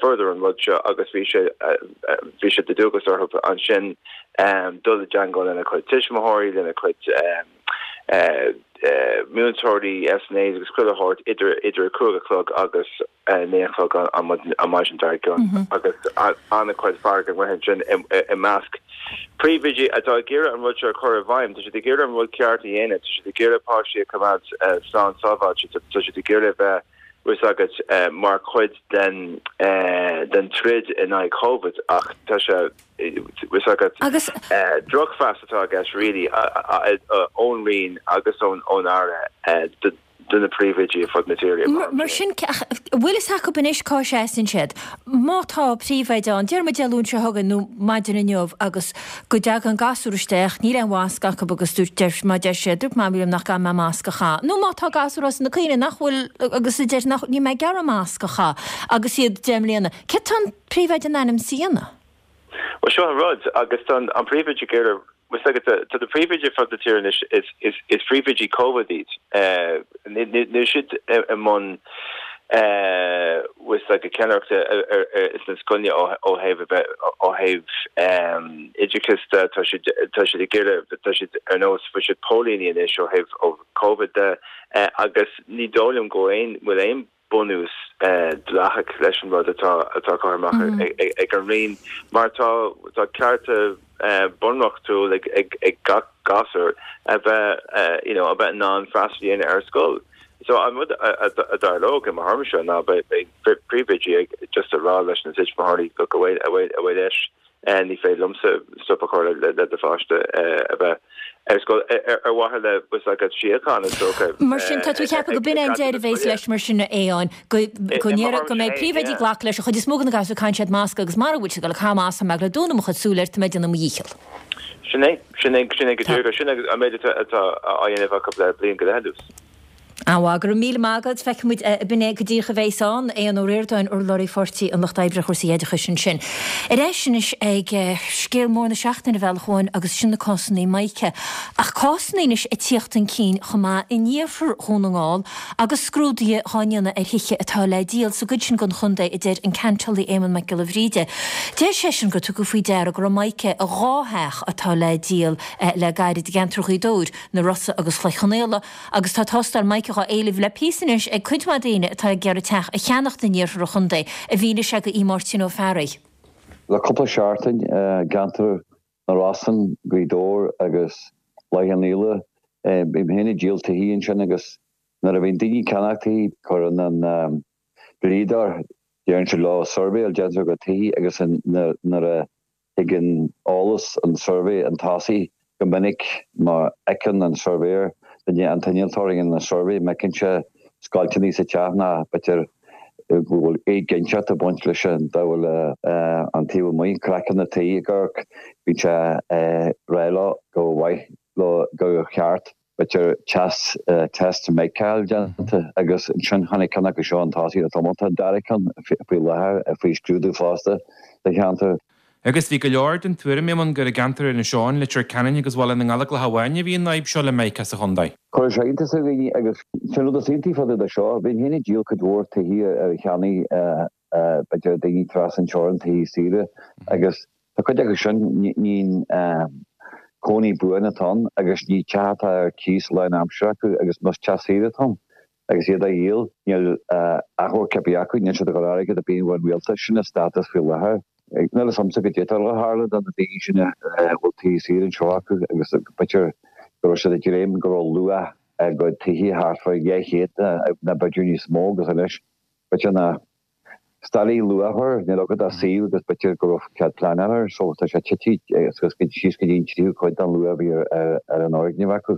fuaireadar an rud seo agus bhí sé bhí sé de dualgas orthu ansin dul i dteagmháil lena chuid tuismitheoirí lena chuid múinteoirí SNAs agus chuile shórt idir idir a cúig a chlog agus naoi a chlog an maidin dár gcionn agus an-chuid fearg amuigh ansin i measc príomhoidí atá ag iarraidh an rud seo a chur i bhfeidhm. Tá siad ag iarraidh an rud ceart a dhéanamh, tá siad ag iarraidh páistí a choimeád slán sábháilte, tá siad ag iarraidh bheith bhfuil 's agat mar chuid den den troid in aghaidh Covid ach tá sé bhfuil 's agat drochmheas atá i gceist really ón Roinn agus ón ón Aire do na príomhoidí ar fud na tíre. Mar sin, an bhfuil fhios acu anois cá seasann siad? Má tá príomhoide ann, déarfaidh muid Dé Luain seo chugainn nó maidin inniu agus go dtagann gasúr isteach, níl aon mhasc acu agus dúirt, deir, má deir sé, dúirt Mamaí liom nach gcaithfidh mé masc a chaitheamh. Nó má tá gasúr as na Caoine nach bhfuil agus a deir nach, níl mé ag iarraidh masc a chaitheamh agus iad deich mbliana. Céard tá an príomhoide in ainm is a dhéanamh? Bhuel, seo an rud, agus tá an príomhoide ag iarraidh Bhfuil 's agat, tá na príomhoidí ar fud na tíre anois, is príomhoidí Covid iad. Níl siad i mbun bhfuil 's agat ceannaireachta sna scoileanna ó thaobh a bheith ó thaobh oideachais de, tá siad tá siad ag iarraidh tá siad ar nós bhfuil siad póilíní anois ó thaobh Covid de agus ní dóigh liom go bhfuil aon bunús dleathach leis an rud atá atá curtha amach ag an Roinn mar tá tá cearta bunreachtúil ag ag ag gach gasúr a bheith you know a bheith in ann freastal a dhéanamh ar scoil. So an rud a tharlódh i mo thuairimse ná beidh príomhoidí ag just a rá leis na tuismitheoirí look away away away leis Ní féidir liomsa stop a chur le do pháiste a bheith ar scoil ar mhaithe le bhfuil 's agat síocháin is dócha. Mar sin, tá tú ag ceapadh go b'in é an deireadh a bheas leis mar sin a Aodháin, go go ndéarfadh go mbeidh príomhoidí ag glacadh leis an chuid is mó de na gasúir caitheann siad masc agus mara bhfuil siad ag dul ag caitheamh masc tá mé ag dul ag dúnadh mo chuid súl air tá mé ag déanamh mo dhícheall. Sin é, sin é, sin é go díreach, sin é an méid atá á dhéanamh acu le bliain go leith anuas. An-mhaith, go raibh míle maith agat. Feicfidh muid b'in é go díreach a bheas ann. Aodhán Ó Ríordáin, urlabhraí Pháirtí an Lucht Oibre ar chúrsaí oideachais ansin. Ar ais anois ag scéal mór na seachtaine a Bhealach Amháin agus sin na cásanna mica. Ach cásanna anois ag tíocht chun cinn chomh maith in iarthar Dhún na nGall agus scrúduithe dhá ndéanamh ar thithe atá le díol sa gcuid sin den chontae a deir an ceantálaí Éamonn Mac Giolla Bhríde. Deir seisean gur tugadh faoi deara go raibh mica i dhá theach atá le díol le gairid i gceantar Ghaoth Dobhair, na Rosa agus Cloich Chionnaola. Agus tá tástáil mica dhá éileamh le píosa anois ag cuid mhaith daoine atá ag iarraidh teach a cheannacht in iarthar an chontae, a mhínigh sé do Mháirtín Ó Fearraigh. Le cúpla seachtain, i gceantar na Rosann, Gaoth Dobhair agus Cloich Chionnaola, bím féin ag díol tithe ansin agus nuair a bhíonn daoine ag ceannach tithe, cuireann an dlíodóir, deireann siad leo suirbhéáil déanta ar a gcuid tithe agus nuair a Tagann eolas an tsuirbhé chun tosaigh go minic má fheiceann an suirbhéir, duine, an t-innealtóir a dhéanann an suirbhé, má fheiceann sé scoilteanna sa teach ná b'fhéidir go bhfuil éiginnteacht ag baint leis an dá bhfuil an taobh amuigh, craiceann na tuí ag amharc, bíonn sé ag rá leo gur mhaith leo gur cheart b'fhéidir test test mica a fháil déanta agus ansin tháinig ceann acu seo chun tosaigh le tamall. Tá an dara ceann faoi láthair faoi scrúdú fosta sa cheantar. Agus bhí go leor den tuairim, Éamonn, gur i gceantar Inis Eoghain, Leitir Ceanainn agus Bhaile na nGallóglach amháin a bhí an fhadhb seo le mica sa chontae. Chuir sé iontas ar dhaoine agus sin rud is iontaí fá dtaobh de seo. Bhínn féin ag díol cuid mhór tithe ar cheannaigh b'fhéidir daoine trasna an teorainn tithe saoire agus tá cuid acu sin ní cónaí buan atá ann agus ní teach atá ar cíos lán-aimsire acu agus más teach saoire atá ann agus iad á dhíol níl achomharc ar bith acu, níl siad ag dul airgead ar bith ón rialtas, sin an stádas faoi láthair. Níl fhios a'msa goidé atá ag tarlú do na daoine sin a bhfuil tithe saoire anseo acu agus b'fhéidir go raibh siad ag dréim go raibh luach a gcuid tithe thart fá dhá chéad nó b'fhéidir níos mó agus anois b'fhéidir nach Staraí luachmhar, níl agat ach suíomh agus b'fhéidir go raibh cead pleanála air, so tá sé tite suas síos go dtí an tríú cuid den luach a bhí ar an fhoirgneamh acu.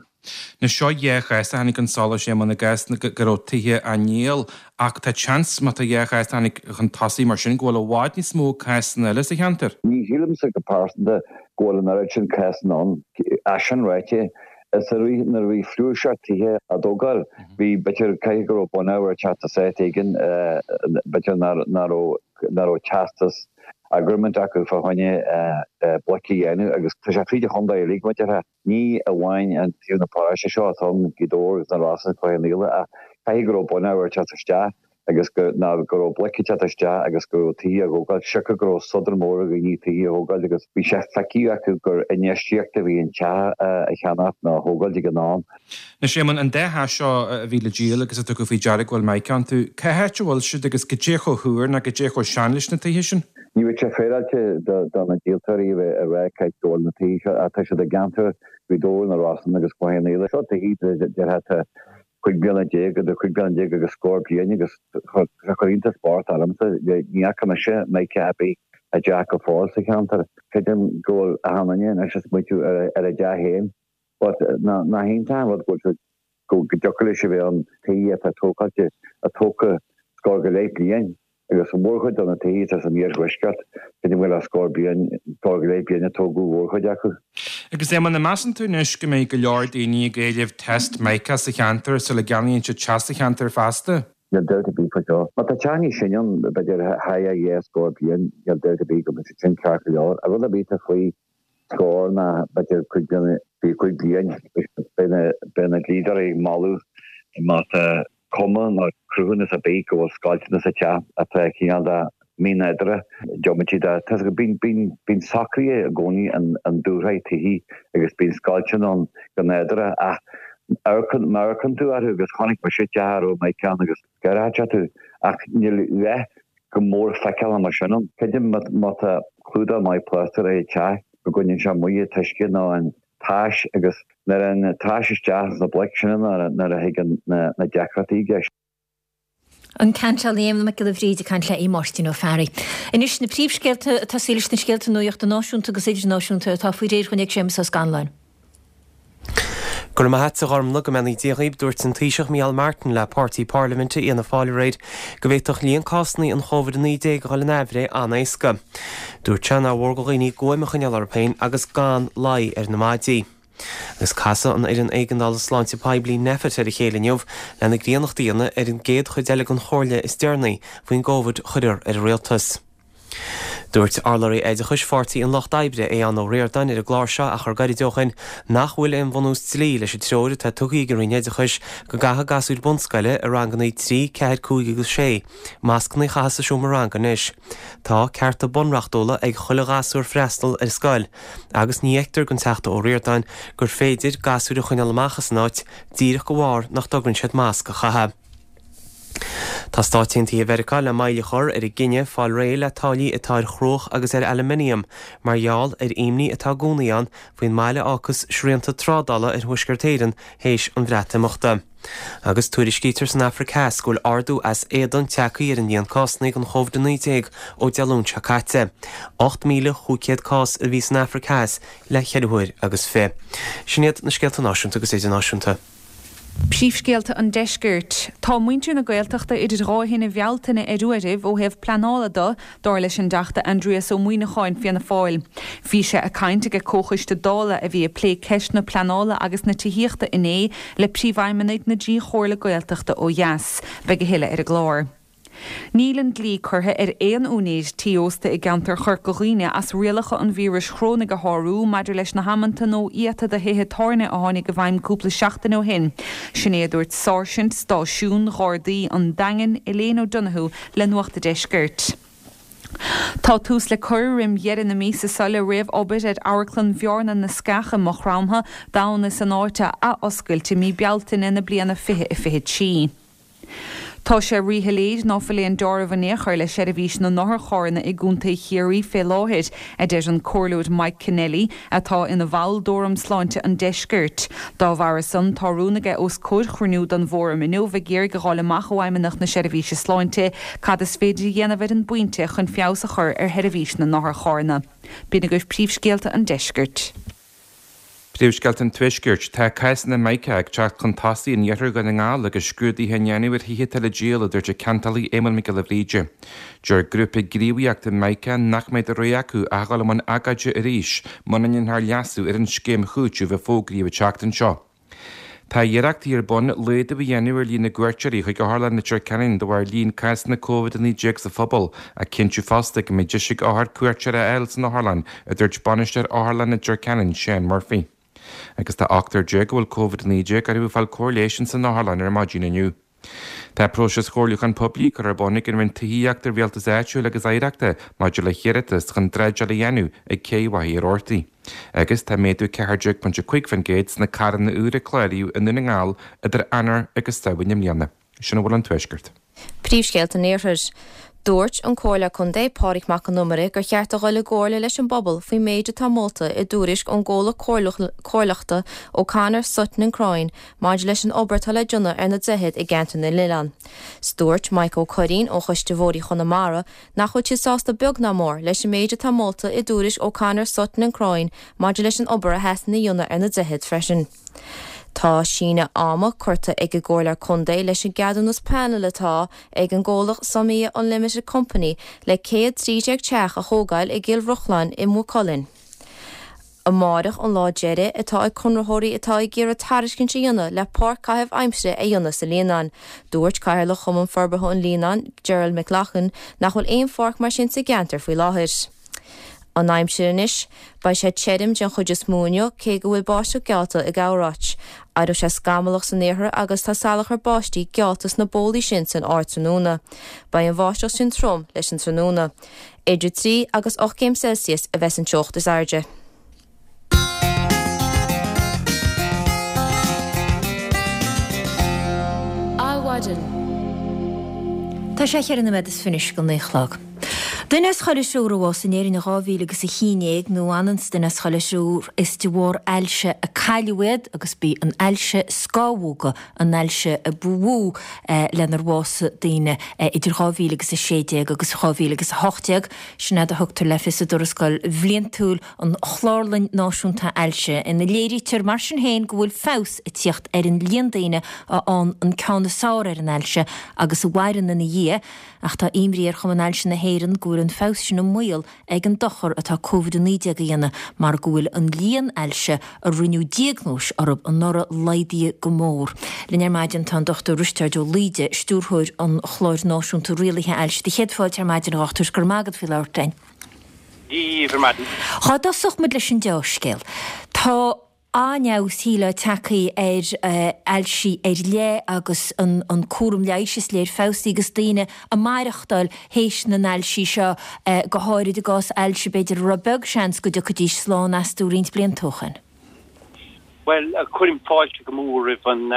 Anois seo dhá chás a tháinig chun solais, Éamonn, i gcás go raibh tithe á ndíol ach tá seans má tá dhá chás a tháinig chun tosaigh mar sin go bhfuil i bhfad níos mó cásanna eile sa cheantar. Ní shílimse go pearsanta go bhfuil an oiread sin cásanna ann. É sin ráite, Is i rith nuair a bhí flúirseach tithe á dtógáil, bhí, b'fhéidir, caithfidh go raibh bunábhar ag teacht as áit éigin, b'fhéidir nach raibh, nach raibh teastas agreement acu fá choinne bloic a dhéanamh agus tá sé fríd an chontae uilig, mar a déarfá. Ní amháin an taobh na paróiste seo atá ann, Gaoth Dobhair agus na Rosann, Cloich Cheann Fhaola, ach caithfidh go raibh bunábhar ag teacht isteach. agus go, ná go raibh bloic ag teacht isteach agus go raibh tithe á dtógáil, siocair go raibh sodar mór ar dhaoine tithe a thógáil agus bhí sé feicthe acu gur infheistíocht a bhí in teach a cheannacht nó a thógáil ag an am. Anois Éamonn, an dá theach seo a bhí le díol agus a tugadh faoi deara go bhfuil mica iontu, cá háit a bhfuil siad agus goidé chomh húr ná goidé chomh sean leis na tithe sin? Ní bheadh sé féaráilte do na díoltóirí a bheith ag rá cá háit go bhfuil na tithe seo ach tá siad i gceantar Ghaoth Dobhair, na Rosann agus Cloich Cheann Fhaola. Seo tithe, déarfá, atá cúig bliana déag, idir cúig bliana déag agus scór bliain agus chuir iontas bocht ormsa, ní fhaca mise mica ar bith i dteach go fóill sa cheantar. Creidim go bhfuil achan duine anois ag smaoitiú ar a dteach féin but nach iontach an rud go bhfuil go dtiocfadh leis a bheith ann tithe atá tógáilte, a tógtha scór go leith bliain. Agus an mhórchuid de na tithe atá san iarthuaisceart, creidim go bhfuil scór bliain, scór go leith bliain a tógadh an mhórchuid acu. Agus Éamonn, an measann tú anois go mbeidh go leor daoine ag éileamh test mica sa cheantar sula gceannaíonn siad teach sa cheantar feasta? Níl dabht ar bith faoi seo. Má tá teach níos sine ann, b'fhéidir thar dhá scór bliain, níl dabht ar bith go mbeidh siad sin ceart go leor. Ach rud ar bith atá faoi scór ná b'fhéidir cúig bliana, faoi chúig bliain, beidh na dlíodóirí ag moladh má tá cuma nó cruthúnas ar bith go bhfuil scoilteanna sa teach atá cineál de mí-nádúrtha, diomaite de. Tá a fhios agat, bíonn, bíonn socruithe i gcónaí i ndúshraith tithe agus bíonn scoilteanna ann go nádúrtha ach amharcann, má amharcann tú orthu agus chonaic mise teach a raibh mica ann agus gáireoidh tú ach níl a dhath go mór feiceálach mar sin ann. Creidim má tá clúdach maith plástair ar an teach go gcoinníonn sé amuigh an t-uisce nó an tais agus nuair a théann an tais isteach sna bloic sin nuair a thigeann na deacrachtaí i gceist. An Ceantálaí Éamonn Mac Giolla Bhríde ag caint le Aodh Máirtín Ó Fearraigh. Anois na príomhscéalta ag tosaí leis na scéalta nuachta náisiúnta agus idirnáisiúnta atá faoi réir dhúinn ag Séamus Ó Scanláin. Go raibh maith agat a Ghormlaith, go mbeannaí Dia dhaoib, dúirt an Taoiseach Micheál Martin le páirtí parlaiminte Fhianna Fáil aréir go bhféadfadh líon cásanna an Chóivid a naoi déag a dhul in aimhréidh an-éasca. Dúirt sé nár mhór do dhaoine guaim a choinneáil orthu féin agus gan luí ar na maidí. Agus casfaidh an Fhoireann Éigeandála Sláinte Poiblí Nphet ar a chéile inniu lena griannacht a dhéanamh ar an gcéad chuid eile den chomhairle is deireanaí faoin gCóivid a chuirfear ar an Rialtas. Dúirt urlabhraí oideachais Pháirtí an Lucht Oibre, Aodhán Ó Ríordáin, ar an gclár seo achar gairid ó shin nach bhfuil aon bhunús dlí leis an treoir atá tugtha ag an Roinn Oideachais go gcaithfidh gasúir bunscoile i ranganna trí, ceathair, cúig agus sé mascanna a chaitheamh sa seomra ranga anois. Tá cearta bunreachtúla ag chuile ghasúr freastal ar scoil agus ní fheictear don Teachta Ó Ríordáin gur féidir gasúir a choinneáil amach as an áit díreach de bharr nach dtogrann siad masc a chaitheamh. Tá Stáit Aontaithe Mheiriceá le moill a chur ar a gcinneadh fáil réidh le táillí atá ar chruach agus ar aluminium mar gheall ar imní atá i gcónaí ann faoin mbail a fhágfas srianta trádála ar Thuaisceart Éireann théis an Bhreatimeachta. Agus tuairiscítear san Afraic Theas go bhfuil ardú as éadan tagtha ar an líon cásanna den Chóivid a naoi déag ó Dé Luain seo caite. ocht míle chúig chéad cás a bhí san Afraic Theas le ceithre huair agus fiche. Sin iad na scéalta náisiúnta agus idirnáisiúnta. Príomhscéalta an Deiscirt. Tá muintir na Gaeltachta idir dhá thine Bhealtaine ar uairibh ó thaobh pleanála de, dar leis an dTeachta Aindrias Ó Muimhneacháin, Fianna Fáil. Bhí sé ag caint ag comhchoiste Dála a bhí ag plé ceist na pleanála agus na tithíochta inné le príomhfheidhmeannaigh na dtrí chomhairle Gaeltachta ó dheas. Beidh a thuilleadh ar an gclár. Níl an dlí curtha ar aon úinéir tí ósta i gceantar Chorca Dhuibhne as rialacha an víris chorónaigh a shárú maidir leis na hamanta nó iata do thithe tábhairne a tháinig i bhfeidhm cúpla seachtain ó shin. Sin é a dúirt Sáirsint Stáisiún Ghardaí an Daingin, Elaine O'Donoghue le Nuacht a' Deiscirt. Tá tús le cur roim dheireadh na míosa seo le réamh-obair ar Amharclann Bhearna na Sceach i Maigh Chromtha d'fhonn is an áit a athoscailt i mí Bealtaine na bliana fiche a fiche trí. Tá sé ríshoiléir ná fuil aon dealramh in aon chor le seirbhís na n-otharcharranna i gContae Chiarraí fé láthair, a deir an Comhairleoir Mike Kennelly, atá ina bhall d'Fhóram Sláinte an Deiscirt. Dá bharra san, tá rún aige os comhair chruinniú den bhFóram inniu ag iarraidh a fháil amach ó Fheidhmeannacht na Seirbhíse Sláinte cad is féidir a dhéanamh ar an bpointe chun feabhas a chur ar sheirbhís na n-otharcharranna. B'in agaibh príomhscéalta an deiscirt. Príomhscéalta an Tuaiscirt, Tá cásanna mica ag teacht chun tosaigh in iarthar Dhún na nGall agus scrúduithe á ndéanamh ar thithe atá le díol, a dúirt an ceantálaí Éamonn Mac Giolla Bhríde. Deir grúpa gníomhaíochta mica nach mbeidh de rogha acu ach dul i mbun agóide arís muna ndéanfar leasú ar an scéim chúitimh a fógraíodh an tseachtain seo. Tá iarrachtaí ar bun laghdú a dhéanamh ar líon na gcuairteoirí chuig Otharlann Leitir Ceanainn de bharr líon cásanna Covid a naoi déag sa phobal, ach cinntiú fosta go mbeidh deis ag othair cuairteoir a fháil san otharlann, a dúirt Bainisteoir Otharlann Leitir Ceanainn, Shane Murphy. Agus tá ochtar déag a bhfuil Covid a naoi déag orthu ag fáil cóir leighis ins an otharlann ar maidin inniu. Tá próiseas comhairliúcháin poiblí curtha ar bun ag an Roinn Tithíochta, Rialtais Áitiúil agus Oidhreachta maidir le hiarratas chun dreideáil a dhéanamh ag Cé Mhachaire Rabhartaigh. Agus tá méadú ceathair déag pointe cúig faoin gcéad sna carranna úra a cláraíodh i Ndún na nGall idir Eanáir agus Samhain i mbliana. Sin a bhfuil ón Tuaisceart. Príomhscéalta an Iarthair. Dúirt an Comhairleoir Contae Pádraig Mac Con Iomaire gur cheart a dhul i gcomhairle leis an bpobal faoin méid atá molta i dtuairisc ón gcomhlacht comhairleachta O'Connor, Sutton and Croyne maidir leis an obair atá le déanamh ar na droichid i gceantar na nOileán. 'S dúirt Mike Ó Curraoin ó Choiste Bhóithre Chonamara nach bhfuil siad sásta beag ná mór leis an méid atá molta i dtuairisc O'Connor, Sutton and Croyne maidir leis an obair a theastaíonn a dhéanamh ar na droichid freisin. Tá síneadh ama curtha ag an gComhairle Contae leis an gceadúnas pleanála atá ag an gcomhlacht Somia Unlimited Company le céad trí déag teach a thógáil i gCill Rochlainn i Maigh Cuilinn. Amárach an lá deiridh atá ag conraitheoirí atá ag iarraidh tairiscint a dhéanamh le páirc caitheamh aimsire a dhéanamh sa Líonán. Dúirt Cathaoirleach Chumann Forbartha an Líonáin, Gerald McLaughlin, nach bhfuil aon pháirc mar sin sa gceantar faoi láthair. An aimsir anois, beidh sé tirim den chuid is mó inniu cé go bhfuil báisteach geallta i gcorráit. Éireoidh sé scamallach san iarthar agus tá salachar báistí geallta sna bólaí sin san ardtráthnóna. Beidh an bháisteach sin trom leis an tráthnóna. Idir trí agus ocht gcéim Celsius a bheas an teocht is airde. Adhmhaidin. Tá sé cheithre nóiméad is fiche anois go naoi a chlog. Duine as chuile thriúr a bhásaigh in Éirinn in dhá mhíle agus a haon déag, nó ionann 's duine as chuile thriúr, is de bharr ailse a cailleadh iad agus b'í an ailse scamhóga an ailse a ba mhó lenar bhásaigh daoine idir dhá mhíle agus a sé déag agus dhá mhíle agus a hocht déag. Sin é a thugtar le fios i dtuarascáil bhliantúil an Chlárlann Náisiúnta Ailse, ina léirítear mar sin féin go bhfuil feabhas ag tíocht ar an líon daoine a fhaigheann an ceann is fearr ar an ailse agus a mhaireann ina dhiaidh, ach tá imní ar Chumann Ailse na hÉireann go bhfuil an feabhas sin i mbaol ag an dochar atá Covid a naoi déag a dhéanamh mar go bhfuil an líon ailse a rinneadh diagnóis orthu anuraidh laghdaithe go mór. Linn ar maidin tá an Dochtúir Risteárd Ó Laoide, Stiúrthóir an Chláir Náisiúnta Rialaithe Ailse. Do chéad fáilte ar maidin, a Dhochtúir, go raibh maith agat faoi labhairt linn. Dia dhaoibh ar maidin. Dá dtosódh muid leis an deá-scéal, tá an-fheabhas shílfeá tagtha ar ailsí ar leith agus an cúram leighis is léir feabhsaithe agus daoine ag maireachtáil théis na n-ailsí seo, go háirid i gcás ailse b'fhéidir a raibh beag seans go dtiocfaidís slán astu roinnt blianta ó shin. Bhuel, cuirim fáilte go mór roimh an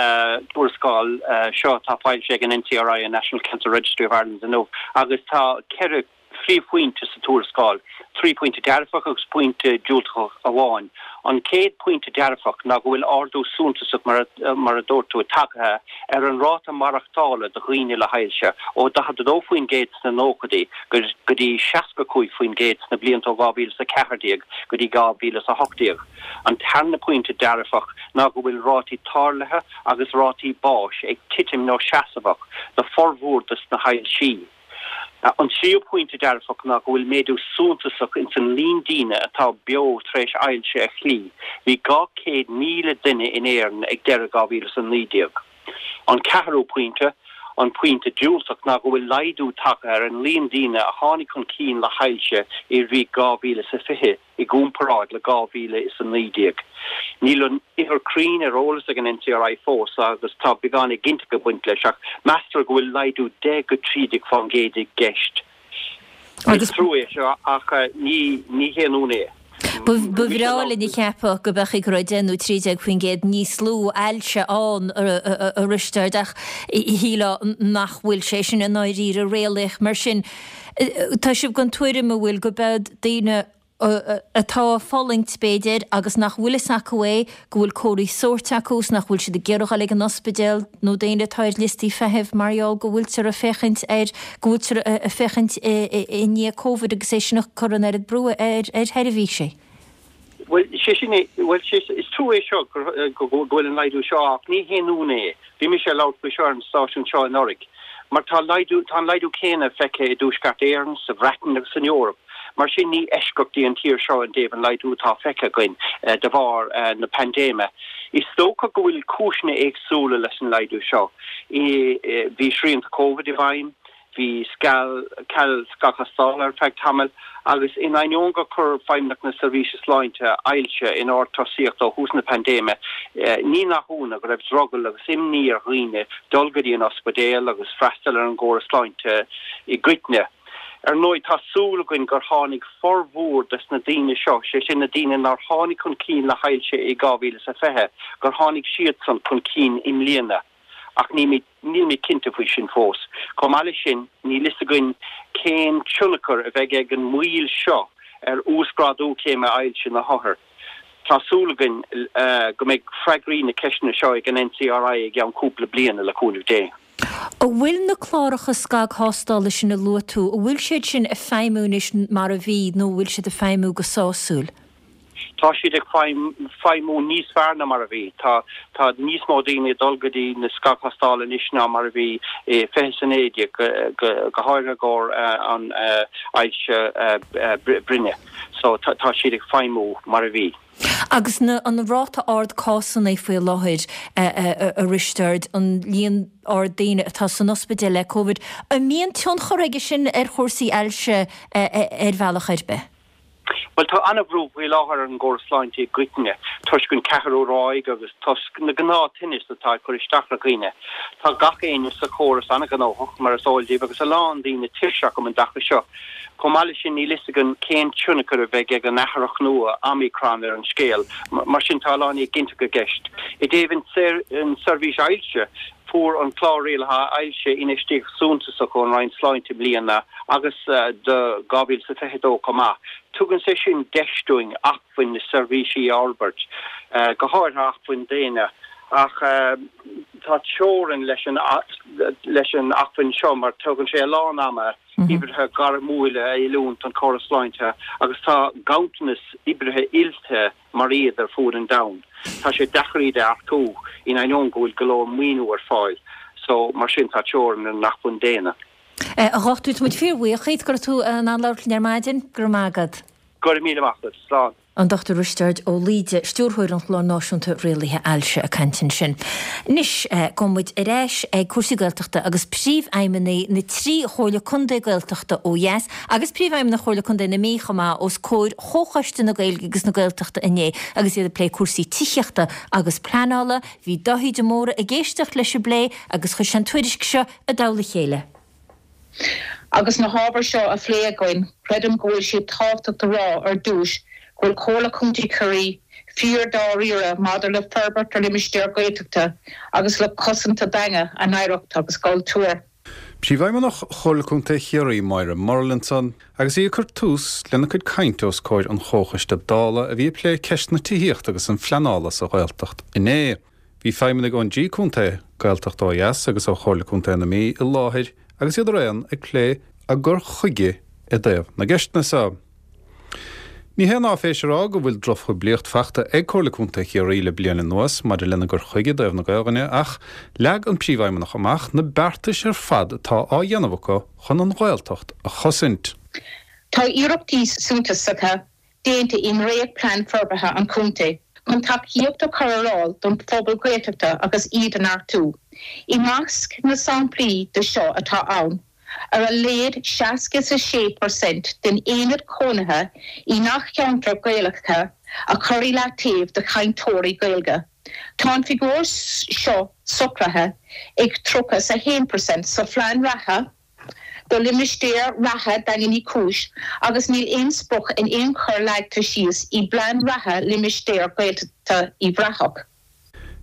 tuarascáil seo atá foilsithe ag an N C R I, an National Cancer Registry of Ireland, inniu agus tá ceithre phríomhphointe sa tuarascáil, trí phointe dearfach agus pointe diúltach amháin. An chéad phointe dearfach ná go bhfuil ardú suntasach, mar a dúirt tú, tagtha ar an ráta maireachtála do dhaoine le hailse, ó daichead a dó faoin gcéad sna nóchaidí go dtí seasca cúig faoin gcéad sna blianta ó dhá mhíle is a ceathair déag go dtí dhá mhíle is a hocht déag. An tarna pointe dearfach ná go bhfuil rátaí tarlaithe agus rátaí báis ag titim nó seasmhach do formhór de na hailsí. An tríú pointe dearfach ná go bhfuil méadú suntasach ins an líon daoine atá beo tar éis ailse a chloí. Bhí dhá chéad míle duine in Éirinn ag deireadh dhá mhíle is a naoi déag. An ceathrú pointe, an pointe diúltach, ná go bhfuil laghdú tagtha ar an líon daoine a tháinig chun cinn le hailse i rith dhá mhíle is a fiche. i gcomparáid le dhá mhíle is a naoi déag. Níl an uimhir cruinn ar eolas ag an N C R I fós agus tá beagán éiginnteacht ag baint leis ach meastar go bhfuil laghdú deich go trí déag fán gcéad i gceist. Is trua é seo ach ní ní haon ionadh é. Ba bhreá linn a cheapadh go mbeadh go raibh deich nó trí déag faoin gcéad níos lú ailse ann, a Risteaird, ach shílfeá nach bhfuil sé sin i ndáiríre réalaíoch. Mar sin, tá sibh den tuairim, an bhfuil, go mbeadh daoine atá ag fulaingt, b'fhéidir, agus nach bhfuil fhios acu é, go bhfuil comharthaí sóirt acu is nach bhfuil siad ag iarraidh dul ag an ospidéal, nó daoine atá ar liostaí feithimh mar gheall go bhfuiltear ag féachaint ar, go bhfuiltear ag féachaint i ndiaidh Covid agus é sin ag cur an oiread brú ar sheirbhísí. Bhuel, sé sin é, bhuel, sé, is trua é seo go bhfuil an laghdú seo ach ní haon ionadh é. Bhí mise ag labhairt faoi seo ar an stáisiún seo anuraidh. Mar tá laghdú, tá an laghdú céanna feicthe i dTuaisceart Éireann, sa Bhreatain agus san Eoraip. Mar sin ní eisceacht í an tír seo i dtaobh an laghdú atá feicthe againn de bharr na paindéime. Is dócha go bhfuil cúiseanna éagsúla leis an laghdú seo. Bhí srianta Covid i bhfeidhm, Bhí ceal scagthástála ar feadh tamaill agus in ainneoin gur chuir Feidhmeannacht na Seirbhíse Sláinte ailse in ord tosaíochta ó thús na paindéime, ní nach ionadh go raibh drogall agus imní ar dhaoine dul go dtí an ospidéal agus freastal ar an gcóras sláinte i gcoitinne. Ar ndóigh, tá súil againn gur tháinig formhór des na daoine seo, sé sin na daoine nár tháinig chun cinn le hailse i dhá mhíle is a fiche, gur tháinig siadsan chun cinn i mbliana. Ach nílimid cinnte faoi sin fós. Chomh maith leis sin, níl fhios againn cén tionchar a bheidh ag an moill seo ar uasghrádú céime ailse na hothar. Tá súil againn go mbeidh freagraí na ceisteanna seo ag an NCRI i gceann cúpla bliana, le cúnamh Dé. An bhfuil na cláracha scagthástála sin a luaigh tú, an bhfuil siad sin ag feidhmiú anois mar a bhí nó an bhfuil siad ag feidhmiú go sásúil? Tá siad ag feidhmiú níos fearr ná mar a bhí. Tá tá níos mó daoine ag dul go dtí na scagthástála anois ná mar a bhí i fiche is a naoi déag, go háirithe i gcomhair an ailse broinne. So tá siad ag feidhmiú mar a bhí. Agus na an ráta ard cásanna faoi láthair, a Risteaird, an líon ard daoine atá san ospidéal le Covid, an mbíonn tionchar aige sin ar chúrsaí ailse ar bhealach ar bith? Bhuel, tá an-bhrú faoi láthair ar an gcóras sláinte i gcoitinne, toisc an ceathrú ráig agus toisc na gnáth-tinnis atá ag cur isteach ar dhaoine. Tá gach éinne sa chóras an-ghnóthach, mar is eol daoibh, agus a lán daoine tuirseach um an dtaca seo. Chomh maith leis sin, níl fhios againn cén tionchar a bheidh ag an athraitheach nua, Omicron, ar an scéal. Mar sin, tá a lán éiginnteacht i gceist. I dtaobh an seirbhís ailse, Fuair an Clár Rialaithe Ailse infheistíocht suntasach ón Roinn Sláinte i mbliana agus do dhá mhíle is a fiche a dó chomh maith. Tugann sé sin deis dúinn acmhainn na seirbhísí a fhorbairt, go háirithe acmhainn daonna, ach tá teorainn leis an leis an acmhainn seo mar tógann sé a lán ama oibrithe gairmiúla a oiliúint don chóras sláinte agus tá ganntanas oibrithe oilte mar iad ar fuaid an domhain. Tá sé deacair iad a earcú, in ainneoin go bhfuil go leor maoiniú ar fáil. So, mar sin, tá teorainn ar an acmhainn daonna. A Dhochtúir, tá muid fíorbhuíoch díot go raibh tú in ann labhairt linn ar maidin. Go raibh maith agat. Go raibh míle maith agat. Slán. An Dochtúir Risteard Ó Laoide, Stiúrthóir an Chláir Náisiúnta Rialaithe Ailse ag caint ansin. Anois, gabhfaidh muid ar ais ag cúrsaí Gaeltachta agus príomhfheidhmeannaigh na trí Chomhairle Contae Gaeltachta ó dheas agus príomhfheidhmeannach Chomhairle Contae na Mí chomh maith os comhair Chomhchoiste na Gaeilge agus na Gaeltachta inné agus iad ag plé cúrsaí tithíochta agus pleanála. Bhí Dáithí de Mórdha ag éisteacht leis an bplé agus chuir sé an tuairisc seo i dtoll a chéile. Agus na hábhair seo á phlé againn, creidim go bhfuil sé tábhachtach a rá ar dtús go bhfuil Comhairle Contae Chiarraí fíor-dáiríre maidir le forbairt ar limistéir Ghaeltachta agus le cosaint a dteanga, a n-oidhreacht agus a gcultúr. Príomhfheidhmeannach Chomhairle Contae Chiarraí, Máire Murlin ansan, agus í ag cur tús lena cuid cainte os comhair an Chomhchoiste Dála a bhí ag plé ceist na tithíochta agus an phleanála sa Ghaeltacht inné. Bhí feidhmeannaigh ón dtrí contae, Gaeltacht ó dheas agus ó Chomhairle Contae na Mí i láthair agus iad araon ag plé a gcur chuige i dtaobh na gceisteanna seo. Ní haon áiféis a rá go bhfuil drochphoiblíocht fachta ag Comhairle Contae Chiarraí le bliain anuas maidir lena gcur chuige i dtaobh na Gaelainne ach leag an Príomhfheidhmeannach amach na beartais ar fad atá á dhéanamh acu chun an Ghaeltacht a chosaint. Tá iarrachtaí suntasacha déanta i ndréachtphlean forbartha an chontae chun tacaíocht a chur ar fháil don phobal Gaeltachta agus iad a neartú. I measc na samplaí de seo atá ann, ar a laghad seasca is a sé per cent den aonad cónaithe i ngach ceantar Gaeltachta a chur i leataobh do chainteoirí Gaeilge. Tá an figiúr seo socraithe ag tríocha is a haon per cent sa phlean reatha do limistéar reatha Dhaingean Uí Chúis agus níl aon sprioc in aon chor leagtha síos i bplean reatha limistéar Gaeltachta Uíbh Ráthach.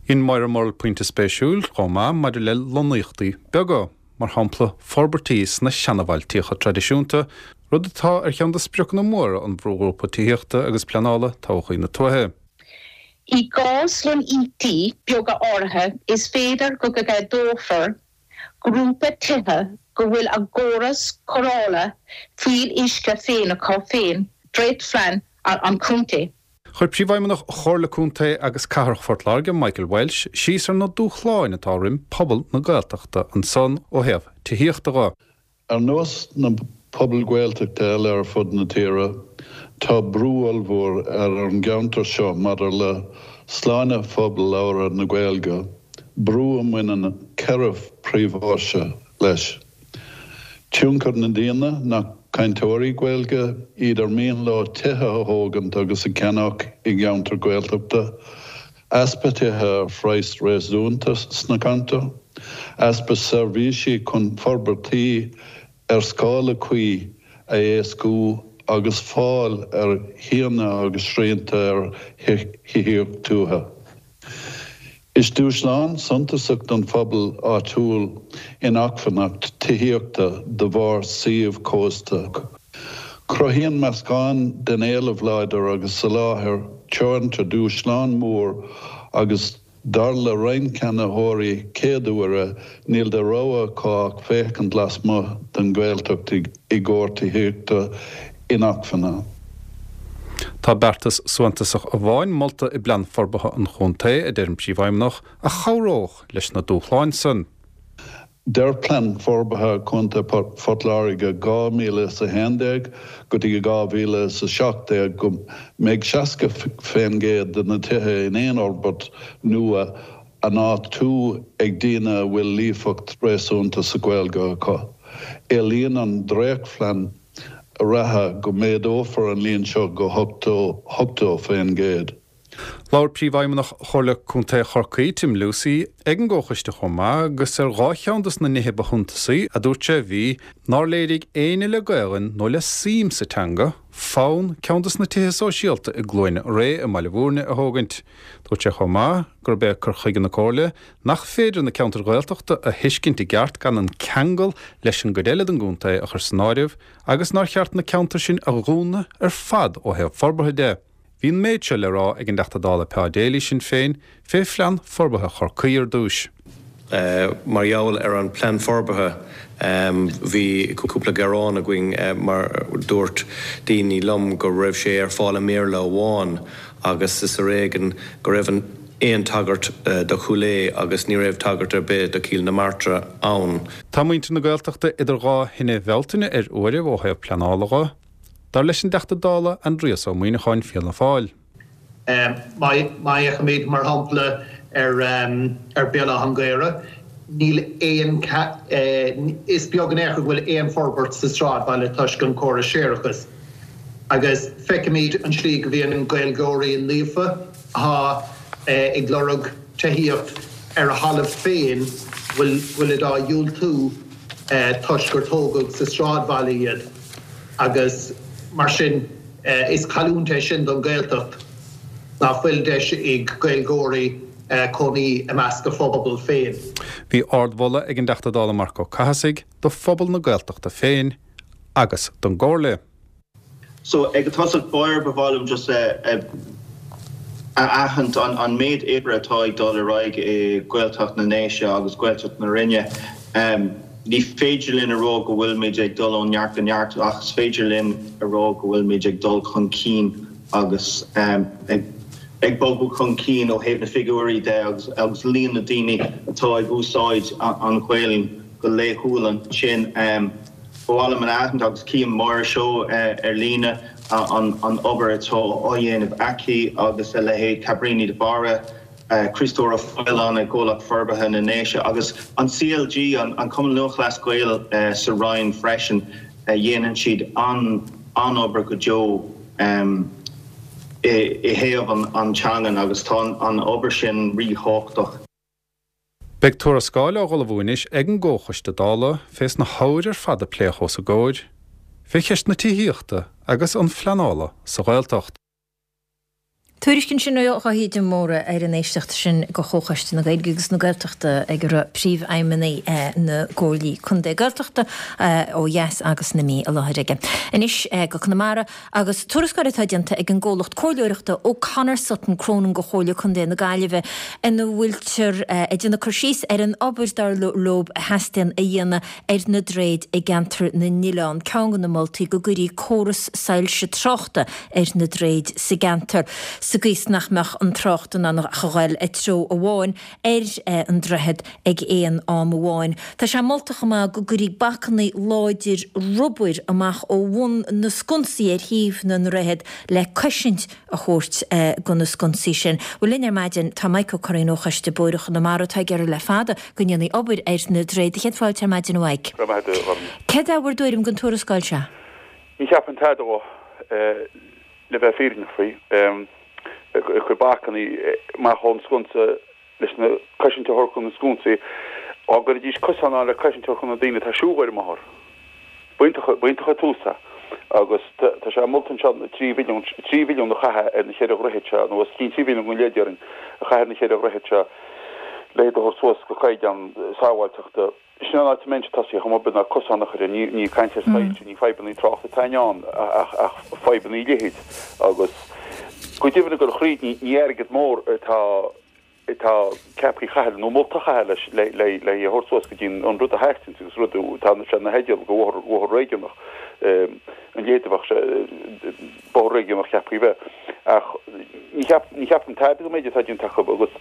Dhein Moira Murrell pointe spéisiúil chomh maith maidir le lonnaíochtaí beaga, mar shampla forbairtí sna seanabhailtíocha traidisiúnta, rud atá ar cheann de spriocanna móra an Bhrúghrúpa Tithíochta agus Pleanála Todhchaí na Tuaithe. I gcás lonnaíochtaí beaga áirithe, is féidir go gceadófar grúpa tithe go bhfuil a gcóras cóireála fuíolluisce féin acu féin, Dréachtphlean an Chontae. Chuir Príomhfheidhmeannach Chomhairle Contae agus Cathrach Phort Láirge, Michael Walsh, síos ar na dúshláin atá roim pobal na Gaeltachta ansan ó thaobh tithíochta dho. Ar nós na pobail Ghaeltachta eile ar fud na tíre, tá brú ollmhór ar an gceantar seo maidir le sláine phobal labhartha na Gaeilge, brú a mbaineann ceithre phríomhthoise leis. Tionchar na ndaoine nach cainteoirí Gaeilge iad ar mian leo tithe a thógaint agus a cheannach i gceantar Gaeltachta, easpa tithe ar phraghas réasúnta sna ceantair, easpa seirbhísí chun forbairtí ar scála cuí a éascú agus fáil ar thíonna agus srianta ar thithíocht tuaithe. Is dúshlán suntasach don phobal áitiúil inacmhainneacht tithíochta de bharr suíomh cósta. Cruthaíonn meascán den éileamh láidir agus soláthar teoranta dúshlán mór agus dar le roinnt ceannaitheoirí céaduaire níl de rogha acu ach féachaint lasmuigh den Ghaeltacht i gcomhair tithíochta inacmhainne. Tá beartas suntasach amháin molta i bPlean Forbartha an Chontae, a deir an Príomhfheidhmeannach, a chabhródh leis na dúshláin san. Deir Plean Forbartha Contae Phort Láirge dhá mhíle is a haon déag go dtí dhá mhíle is a seacht déag go mbeidh seasca faoin gcéad de na tithe in aon fhorbairt nua á n-áitiú ag daoine a bhfuil líofacht réasúnta sa Ghaeilge acu. Éilíonn an dréachtphlean reatha go méadófar an líon seo go hochtó faoin gcéad. Labhair Príomhfheidhmeannach Chomhairle Contae Chorcaí, Tim Lucey, ag an gcomhchoiste chomh maith agus ar dhá cheann dos na nithe ba shuntasaí a dúirt sé bhí nár léirigh éinne le Gaelainn nó le suim sa teanga fonn ceann dos na tithe sóisialta i gCluain Ré i mBaile Bhúirne a thógaint. Dúirt sé chomh maith gurb é cur chuige na Comhairle nach féidir na ceantair Ghaeltachta a thuiscint i gceart gan an ceangal leis an gcuid eile den gcontae a chur san áireamh agus nár cheart na ceantair sin a dhúnadh ar fad ó thaobh forbartha de. Bhí an méid seo le rá ag an dTeachta Dála Pa Daly, Sinn Féin, fé Phlean Forbartha Chorcaí ar dtúis. Mar gheall ar an bplean forbartha bhí cúpla gearán againn mar dúirt daoine liom go raibh sé ar fáil i mBéarla amháin agus is ar éigean go raibh aon tagairt do Chúil Aodha agus ní raibh tagairt ar bith do Chill na Martra ann. Tá muintir na Gaeltachta idir dhá thine Bhealtaine ar uairibh ó thaobh pleanála dho, dar leis an dTeachta Dála Aindrias Ó Muimhneacháin, Fianna Fáil. Má fhéachaimid, mar shampla, ar Bhéal Átha an Ghaorthaidh, níl aon, is beag in aon chor go bhfuil aon forbairt sa sráidbhaile toisc an córas séarachais. Agus feicimid an tslí go mbíonn Gaeilgeoirí líofa atá ag lorg tithíocht ar a thalamh féin, bhfuil, bhfuilid á dhiúltú toisc gur tógadh sa sráidbhaile iad. Agus mar sin, is cailliúint é sin don Ghaeltacht nach bhfuil deis ag Gaeilgeoirí cónaí i measc a phobal féin. Bhí ardmholadh ag an dTeachta Dála Marc Ó Cathasaigh do phobal na Gaeltachta féin agus don gComhairle. So ag tosach báire ba mhaith liom just a aithint an méid oibre atá ag dul ar aghaidh i Gaeltacht na nDéise agus Gaeltacht na Rinne. Ní féidir linn a rá go bhfuilimid ag dul ó neart go neart ach is féidir linn a rá go bhfuilimid ag dul chun cinn agus ag bogadh chun cinn ó thaobh na figiúirí de agus líon na daoine atá ag úsáid an Ghaelainn go laethúil ansin. Ba mhaith liom a aithint agus cím Máire Seoighe ar líne an obair atá á dhéanamh aici agus a leithéid Cabríní de Barra, Criostóir Ó Faoláin i gComhlacht Forbartha na nDéise agus an CLG, an Cumann Lúthchleas Gael sa Rinn freisin, dhéanann siad an-obair go deo i thaobh an teangan agus tá an obair sin ríthábhachtach. Beidh tuarascáil á ullmhú anois ag an gComhchoiste Dála fés na hábhair ar fad a pléadh os a gcomhair, fé cheist na tithíochta agus an phleanála sa Ghaeltacht. Tuairisc ansin ó Dháithí de Mórdha ar an éisteacht sin go Chomhchoiste na Gaeilge agus na Gaeltachta ag a raibh príomhfheidhmeannaigh na gComhairlí Contae Gaeltachta ó dheas agus na Mí i láthair aige. Anois go Conamara agus tuarascáil atá déanta ag an gcomhlacht comhairleoireachta O'Connor Sutton Cronin go Chomhairle Contae na Gaillimhe ina bhfuiltear ag déanamh cur síos ar an obair dar leo a theastaíonn a dhéanamh ar na droichid i gceantar na nOileán. Ceann de na moltaí go gcuirfí córas soilse tráchta ar na droichid sa gceantar sa gcaoi is nach mbeadh an trácht in ann ach a ghoil i dtreo amháin ar an droichead ag aon am amháin. Tá sé molta chomh maith go gcuirfí bacanna láidir rubair amach ó bhun na sconsaí ar thaobh na ndroichead le cosaint a thabhairt go na sconsaí sin. Bhuel linn ar maidin tá Mike Ó Curraoin ó Choiste Bóithre Chonamara atá ag iarraidh le fada go ndéanfaí obair ar na droichid. Céad fáilte ar maidin a Mhaidhc. Go raibh maith agat, a Ghorm. Céard é bhur dtuairim den tuarascáil seo? Ní cheapaim tada dhó, le bheith fírinneach faoi. Ag cur bacanna amach ón sconsa leis na cosaint a thabhairt chun na sconsaí, dá gcuirfidís cosán ann le cosaint a thabhairt chun na daoine atá ag siúl ar an mbóthar. B'iontach, b'iontach an tús é. Agus tá sé molta anseo na trí mhilliún, trí mhilliún a chaitheamh ar na cheithre dhroichead seo, nó os cionn trí mhilliún go leith déarfainn, a chaitheamh ar na cheithre dhroichead seo le iad a thabhairt suas go caighdeán sábháilteachta. Sin an áit a mbeinnse ag tosaí chomh maith ná cosán a chur air. Ní, ní caint ar soilse, ní fadhbannaí tráchta atá i ndán ach, ach fadhbannaí leithid. Agus go deimhin ag dul thríd, ní, ní airgead mór atá, atá ceaptha a chaitheamh nó molta a chaitheamh leis, le, le, le é a thabhairt suas go dtí an rud a theastaíonns agus rud atá sé ina theideal go bhóthar, bhóthar réigiúnach, an leithéid a bheadh sé, bóthar réigiúnach ceaptha a bheith. Ach ní cheap, ní cheapaim tada den méid atá déanta acu agus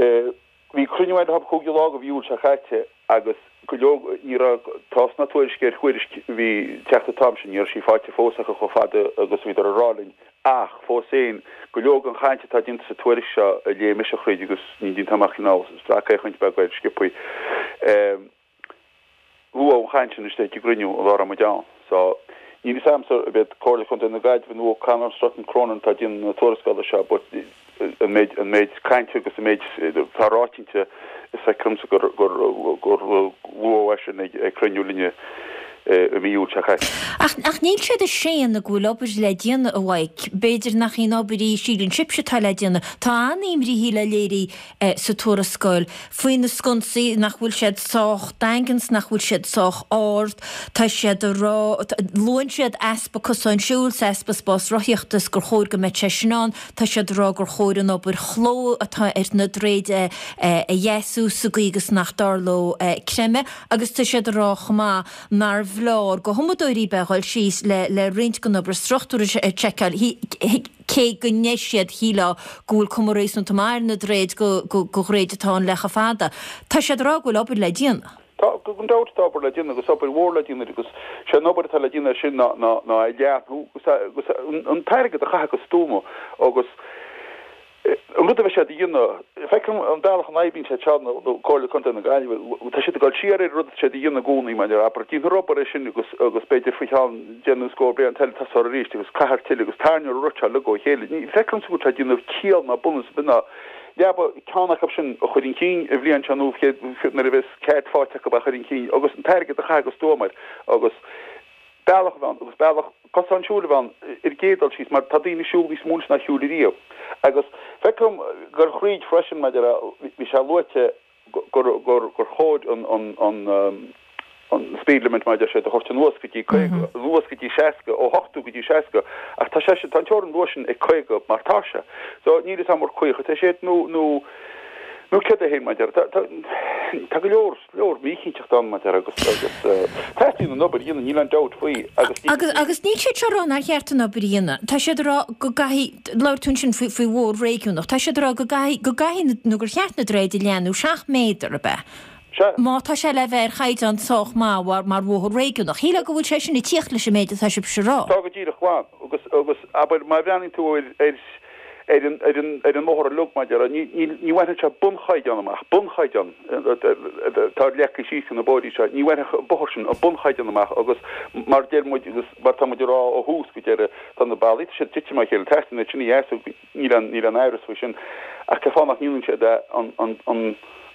eh, Bhí cruinniú eile acu cúigiú lá de mhí Iúil seo caite agus go leor, ní raibh tásc ná tuairisc ar thuairisc a bhí ag teacht an t-am sin, ní raibh sí faighte fós acu chomh fada agus a bhíodar ag rá linn. Ach fós féin, go leor den chaint atá déanta sa tuairisc seo a léigh mise thríd agus ní déanta amach cineál sracfhéachaint beag air sciobthaí. Luadh an chaint sin istigh ag an gcruinniú an lá a raibh muid ann. So, níl fhios a'msa ab iad Comhairle Chontae na Gaillimhe nó O'Connor Sutton Cronin atá ag déanamh na tuarascála seo but an méid, an méid cainte agus an méid atá ráite inti, is feictear domsa gur, gur, gur luadh é sin ag, ag cruinniú linne i mí Iúil seo caite. Ach, ach níl siad ag séanadh go bhfuil obair le déanamh, a Mhaidhc. B'fhéidir nach í an obair í a síleann sibhse atá le déanamh. Tá an-imní le léiriú sa tuarascáil faoi na sconsaí, nach bhfuil siad sách daingean 's nach bhfuil siad sách ard. Tá siad a rá, luann siad easpa cosán siúil 's easpa spás rothaíochta 's gur chóir go mbeadh sé sin ann. Tá siad a rá gur chóir an obair chló atá ar na droichid a dheisiú sa gcaoi agus nach dtarlódh creimeadh agus tá siad a rá chomh maith nárbh leor go thumadóirí bheith ag dul síos le le roinnt den obair struchtúir a sheiceáil. Cé go ndeir siad, shílfeá, go bhfuil cuma réasúnta maith ar na droichid go go dhroichid atá ann le chomh fada, tá siad a rá go bhfuil obair le déanamh. Tá, gan dabht, tá obair le déanamh agus obair mhór le déanamh agus sé an obair atá le déanamh air sin ná ná ná é a leathnú agus agus an t-airgead a chaitheamh go stuama agus an rud a bheidh siad a dhéanamh, feicim an bealach a n-oibríonn siad seo, nó Comhairle Contae na Gaillimhe, tá siad ag dul siar ar an rud atá siad a dhéanamh i gcónaí, mar abair, déanfar obair air sin agus agus b'fhéidir faoi cheann deich nó scór bliain eile tosófar arís agus caithfear tuilleadh agus tarraingeofar an rud seo uilig ó chéile. Ní feictear domsa go bhfuil sé ag déanamh ciall ná bunús ar bith ná leaba ceann acu sin a chur chun cinn an bhliain seo nó nuair a bheas cead faighte acu é a chur chun cinn agus an t-airgead a chaitheamh go stuama air agus bealach a bheith ann agus bealach cosán siúil a bheith ann ar an gcéad dul síos mar tá daoine ag siúl níos mó anois ná shiúil ariamh. Agus feicim gur thríd freisin maidir le, bhí sé luaite gur, gur, gur chóir an, an, an, an speed limit mar a deir siad a thabhairt anuas go dtí caoga, anuas go dtí seasca, ó ochtó go dtí seasca ach tá sé sin, tá an teorainn nua sin ag caoga mar tá sé. So níl fhios a'm ar caoga atá sé nó, nó, nó céard é féin mar a deir, tá, tá, tá go leor. leor míchinnteacht ann mar a deir agus agus teastaíonn an obair a dhéanamh, níl aon dabht faoi agus ní. Agus agus níl siad seo ag rá nár cheart an obair a dhéanamh. Tá siad ag rá go gcaithfidh, labhair tú ansin faoi faoi bhóthar réigiúnach, tá siad ag rá go gcaithfidh, go gcaithfidh nó gur cheart na droichid a leathnú seacht méadar, ab ea? Sea. Má tá sé le bheith ar chaighdeán sách maith mar mar bhóthar réigiúnach. Shílfeá go bhfuil sé sin ag tíocht leis an méid atá sibhse a rá. Tá go díreach glan agus agus abair má bhreathnaíonn tú ar ar ar an ar an ar an mbóthar uilig mar a déarfá. Ní ní ní bhainfeadh sé bunchaighdeán amach, bunchaighdeán atá leagtha síos na bóithrí seo, ní bhainfeadh an bóthar sin an bunchaighdeán amach agus mar deir muid agus mar tá muid ag rá ó thús go deireadh, tá na ballaí, tá siad tite amach a chéile, teastaíonn iad sin a dheasú, níl aon níl aon amhras faoi sin ach cén fáth nach ndéanann siad an an an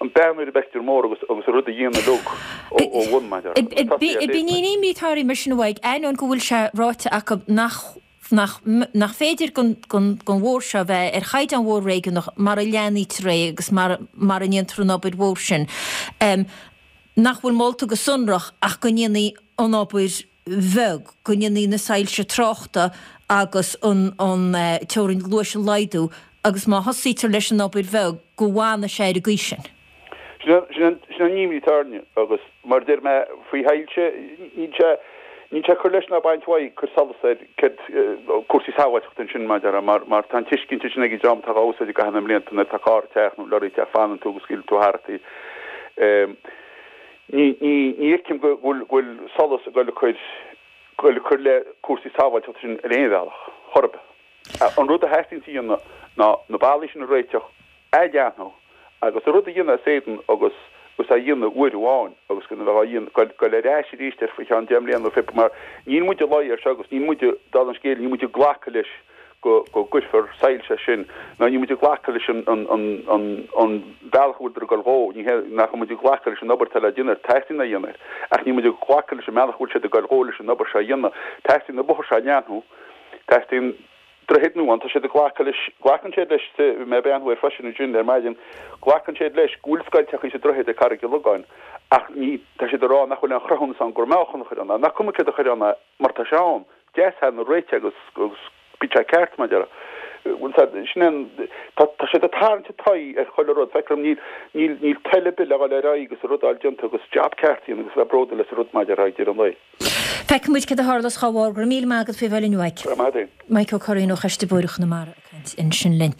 an bearna ar an bpictiúr mór agus agus an rud a dhéanamh uilig ó ó bhun mar a déarfá. Bíonn imní atá orainn mar sin uaidh, ainneoin go bhfuil sé ráite acu nach nach nach féidir don don don bhóthar seo bheith ar chaighdeán bhóthar réigiúnach mar a leathnaítear é agus mar mar a ndéantar an obair mhór sin, nach bhfuil molta go sonrach ach go ndéanfaí an obair bheag, go ndéanfaí na soilse tráchta agus an an teorainn luais a laghdú agus má thosaítear leis an obair bheag go bhfanfaidh sé ar an gcaoi sin. Sin an imní atá orainne agus mar a deir mé faoi shoilse, níl sé níl sé ag cur leis ná baint uaidh, cur solas ar céard cúrsaí sábháilteachta ansin mar a déarfá mar mar tá an tuiscint sin ag an dream atá á úsáid i gcaitheamh na mblianta nuair atá carr ag teacht nó lorry ag teacht fanann tú agus scaoileann tú tharat í. Ní ní ní fheicim go bhfuil go bhfuil solas ag dul ag cur dul ag cur le cúrsaí sábháilteachta sin ar aon bhealach, chor ar bith. An rud a theastaíonn a dhéanamh ná na ballaí sin a réiteach, a leathnú, agus an rud a dhéanamh as éadan agus agus a dhéanamh uair amháin agus gan a bheith á dhéanamh, goil ar ais arís air faoi cheann deich mbliana nó fiche mar níl muid ag luí air seo agus níl muid, dála an scéil, níl muid ag glacadh leis go go gcuirfear soilse air sin ná níl muid ag glacadh leis an an an an an bealach a bhfuiltear ag dul dhó, ní hé nach bhfuil muid ag glacadh leis an obair atá le déanamh air, teastaíonn é a dhéanamh air, ach níl muid ag glacadh leis an mbealach a bhfuil siad ag dul dhó leis an obair seo a dhéanamh. Teastaíonn an bóthar seo a leathnú, teastaíonn droichead nua ann, tá siad ag glacadh leis, glacann siad leis, bhí mé ag breathnú air freisin ansin ar maidin, glacann siad leis go bhfuil scoilteachaí sa droichead ag Carraig an Logáin ach ní, tá siad ag rá nach bhfuil aon chruthúnas ann gur mbeadh an chur ann, nach cuma céard a chuir ann é mar tá sé ann, deas nó réitithe agus, agus bíonn sé ceart mar a déarfá. Bhfuil fhios a'd, sin é an, tá, tá siad ag tarraingt an t-aghaidh ar chuile rud, feictear dom, níl, níl, níl toil ar bith le dhul ar aghaidh agus an rud a fháil déanta agus jab ceart a dhéanamh agus a bheith bródúil as an rud mar a déarfá ag deireadh an lae. Feicfidh muid céard a tharlós dá bharr. Go raibh míle maith agat faoi bheith linn uaidh. Go raibh maith agat. Mike Ó Curraoin ó Choiste Bóithre Chonamara ag caint ansin linn.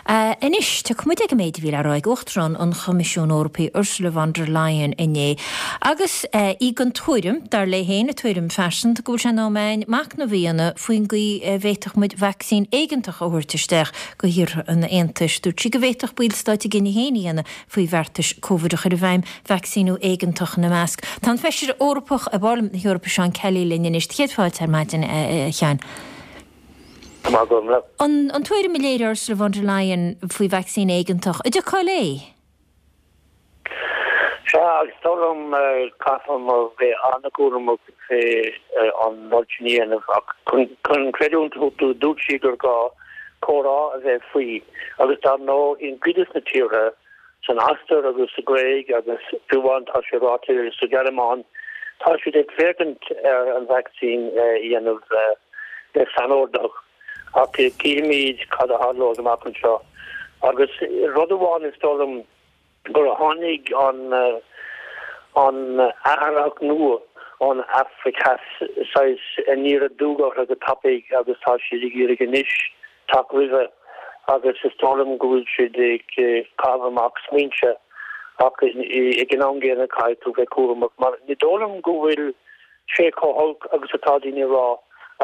Anois, tiocfaidh muid ag an méid a bhí le rá ag Uachtarán an Choimisiúin Eorpaigh Ursula von der Leyen inné agus í den tuairim, dar léi féin, a tuairim phearsanta, go bhfuil sé in am againn machnamh a dhéanamh faoin gcaoi a bhféadfadh muid vacsaín éigeantach a thabhairt isteach go thíortha an Aontais. Dúirt sí go bhféadfadh ballstáit a gcinneadh féin a dhéanamh faoi bheartais Covid a chur i bhfeidhm, vacsaíniú éigeantach ina measc. Tá an Feisire Eorpach i bParlaimint na hEorpa Seán Kelly linn anois. Céad fáilte ar maidin, a Sheáin. Maith go leor. An an tuairim a léirigh Ursula von der Leyen faoi vacsaín éigeantach, an dtiocfá léi? Sea, agus is dóigh liom caithfidh muid bheith an-chúramach fé an rud sin a dhéanamh ach chun creidiúint a thabhairt dúirt sí gur gá comhrá a bheith faoi agus dar ndóigh i gcuid de na tíortha san Ostair agus sa Ghréig agus fiú amháin tá sé ráite sa Ghearmáin tá siad ag féachaint ar an vacsaín a dhéanamh le sainordach ach cífimid cad a tharlóidh amach anseo agus rud amháin is dóigh liom gur tháinig an an athraitheach nua ón Afraic Theas saghas aniar aduaidh orthu go tapaidh agus tá siad ag iarraidh anois teacht roimhe agus is dóigh liom go bhfuil siad ag caitheamh amach smaointe ach ag an am gcéanna caithfidh tú bheith cúramach mar ní dóigh liom go bhfuil sé chomh holc agus atá daoine ag rá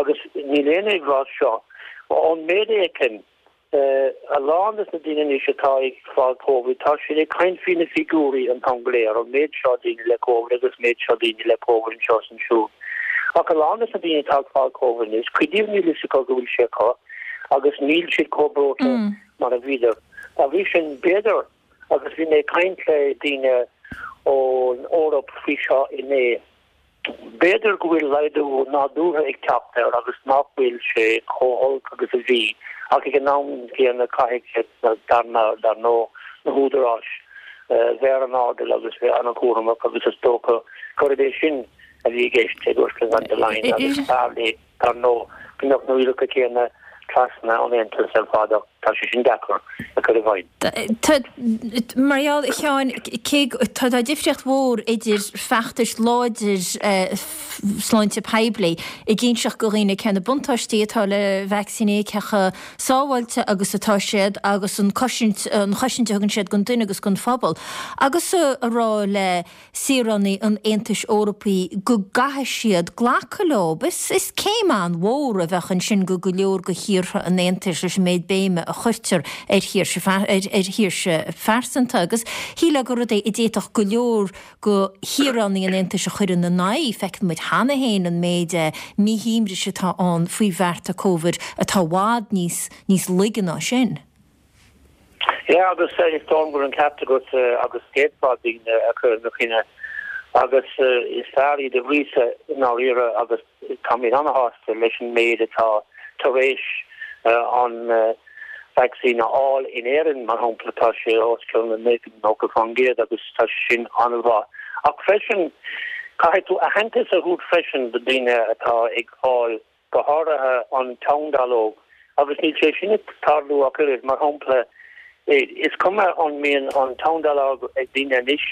agus níl éinne ag rá seo ón méid a fheicim A lán de na daoine anois atá ag fáil Covid, tá siad ag caint faoi na figiúirí an t-am go léir, an méid seo daoine le Covid agus méid seo daoine le Covid anseo is ansiúd. Ach a lán de na daoine atá ag fáil Covid anois, cuid díobh níl fhios acu go bhfuil sé acu agus níl siad chomh breoite mar a bhíodar. Dá bhrí sin, b'fhéidir, agus bhí mé ag caint le daoine ón Eoraip faoi seo inné, B'fhéidir go bhfuil laghdú nádúrtha ag teacht air agus nach bhfuil sé chomh holc agus a bhí, ach ag an am gcéanna caithfidh siad, dar ndóigh, na húdaráis, bheith ar an airdeall agus bheith an-chúramach agus is dócha gurb é sin a bhí i gceist ag Ursula von der Leyen agus b'fhearr léi, dar ndóigh, go mbeadh na rialacha céanna trasna an Aontais ar fad ach tá sé sin deacair a chur i bhfeidhm. Tá, mar gheall, a Sheáin, cé go, tá difríocht mhór idir feachtais láidir sláinte poiblí ag inseacht go dhaoine cé na buntáistí atá le vacsaíní, cé chomh sábháilte agus atá siad agus an cosaint, an chosaint a thugann siad don duine agus don phobal agus a rá le saoránaigh an Aontais Eorpaigh go gcaithfidh siad glacadh leo. Is céim an-mhór a bheadh ansin go go leor de thíortha an Aontais leis an méid béime a chuirtear ar shaoirse ar shaoirse phearsanta agus shílfeá gur rud é a d'fhéadfadh go leor de shaoránaigh an Aontais a chur ina n-aghaidh. Feiceann muid cheana féin an méid míshuaimhnis atá ann faoi bhearta Covid atá i bhfad níos níos laige ná sin. Yeah, agus is dóigh liom go bhfuil an ceart agat agus d'fhéadfá daoine a chur ina choinne agus is fearr iad a ghríosadh i ndáiríre agus táimid ana-shásta leis an méid atá tar éis an vacsaín a fháil in Éirinn, mar shampla, tá sé os cionn nócha faoin gcéad agus tá sé sin an-mhaith. Ach freisin, caithfidh tú aitheantas a thabhairt freisin do daoine atá ag fáil go háirithe an teann-dallóg agus níl sé sin ag tarlú ach oiread, mar shampla, is cuma an mbíonn an teann-dallóg ag daoine anois,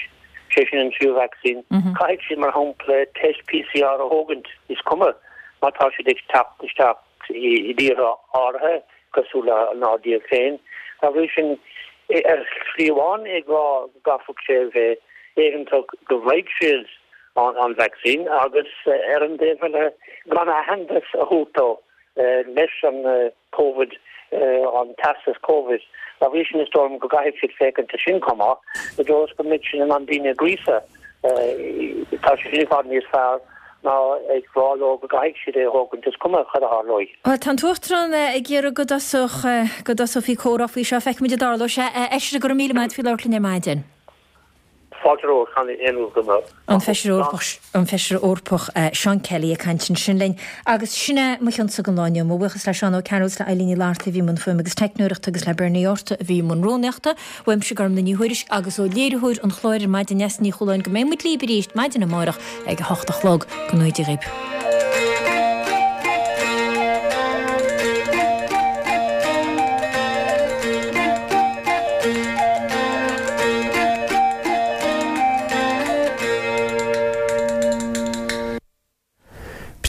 sé sin an tríú vacsaín, caithfidh siad, mar shampla, test PCR a thógaint, is cuma má tá siad ag teacht isteach i dtíortha áirithe, cosúil lenár dtír féin. Dá bhrí sin, ar shlí amháin ag rá go gcaithfeadh sé a bheith éigeantach go bhfaighidh siad an vacsaín agus ar an dtaobh eile gan aitheantas a thabhairt dó leis an Covid, an teastas Covid. Dá bhrí sin is dóigh liom go gcaithfidh siad féachaint air sin chomh maith, i dtreo is go mbeidh siad in ann daoine a ghríosadh. Tá sé sin i bhfad níos fearr ná ag rá leo go gcaithfidh siad é a thógaint, is cuma cad a tharlóidh. Bhuel, tá an tUachtarán ag iarraidh go dtosódh, go dtosófaí comhrá faoi seo. Feicfimid an dtarlóidh sé. A Fheisire, go raibh míle maith agat faoi labhairt linn ar maidin. Fáilte romhat, chan aon rud go mbeadh. An Feisire Eorpach, an Feisire Eorpach Seán Kelly ag caint ansin linn. Agus sin é mo chionsa don lá inniu. Mo bhuíochas le Seán Ó Cearúil is le Eileen Ní Fhlatharta a bhí i mbun fuaime agus teicneoireachta agus le Bernie Orta a bhí i mbun rúnaíochta. Uaimse Gormlaith Ní Thuairisg agus ó léiritheoir an chláir ar maidin Neasa Ní Chualáin go mbeidh muid libh arís maidin amárach ag a hocht a chlog. Go ngnóthaí Dia dhaoibh.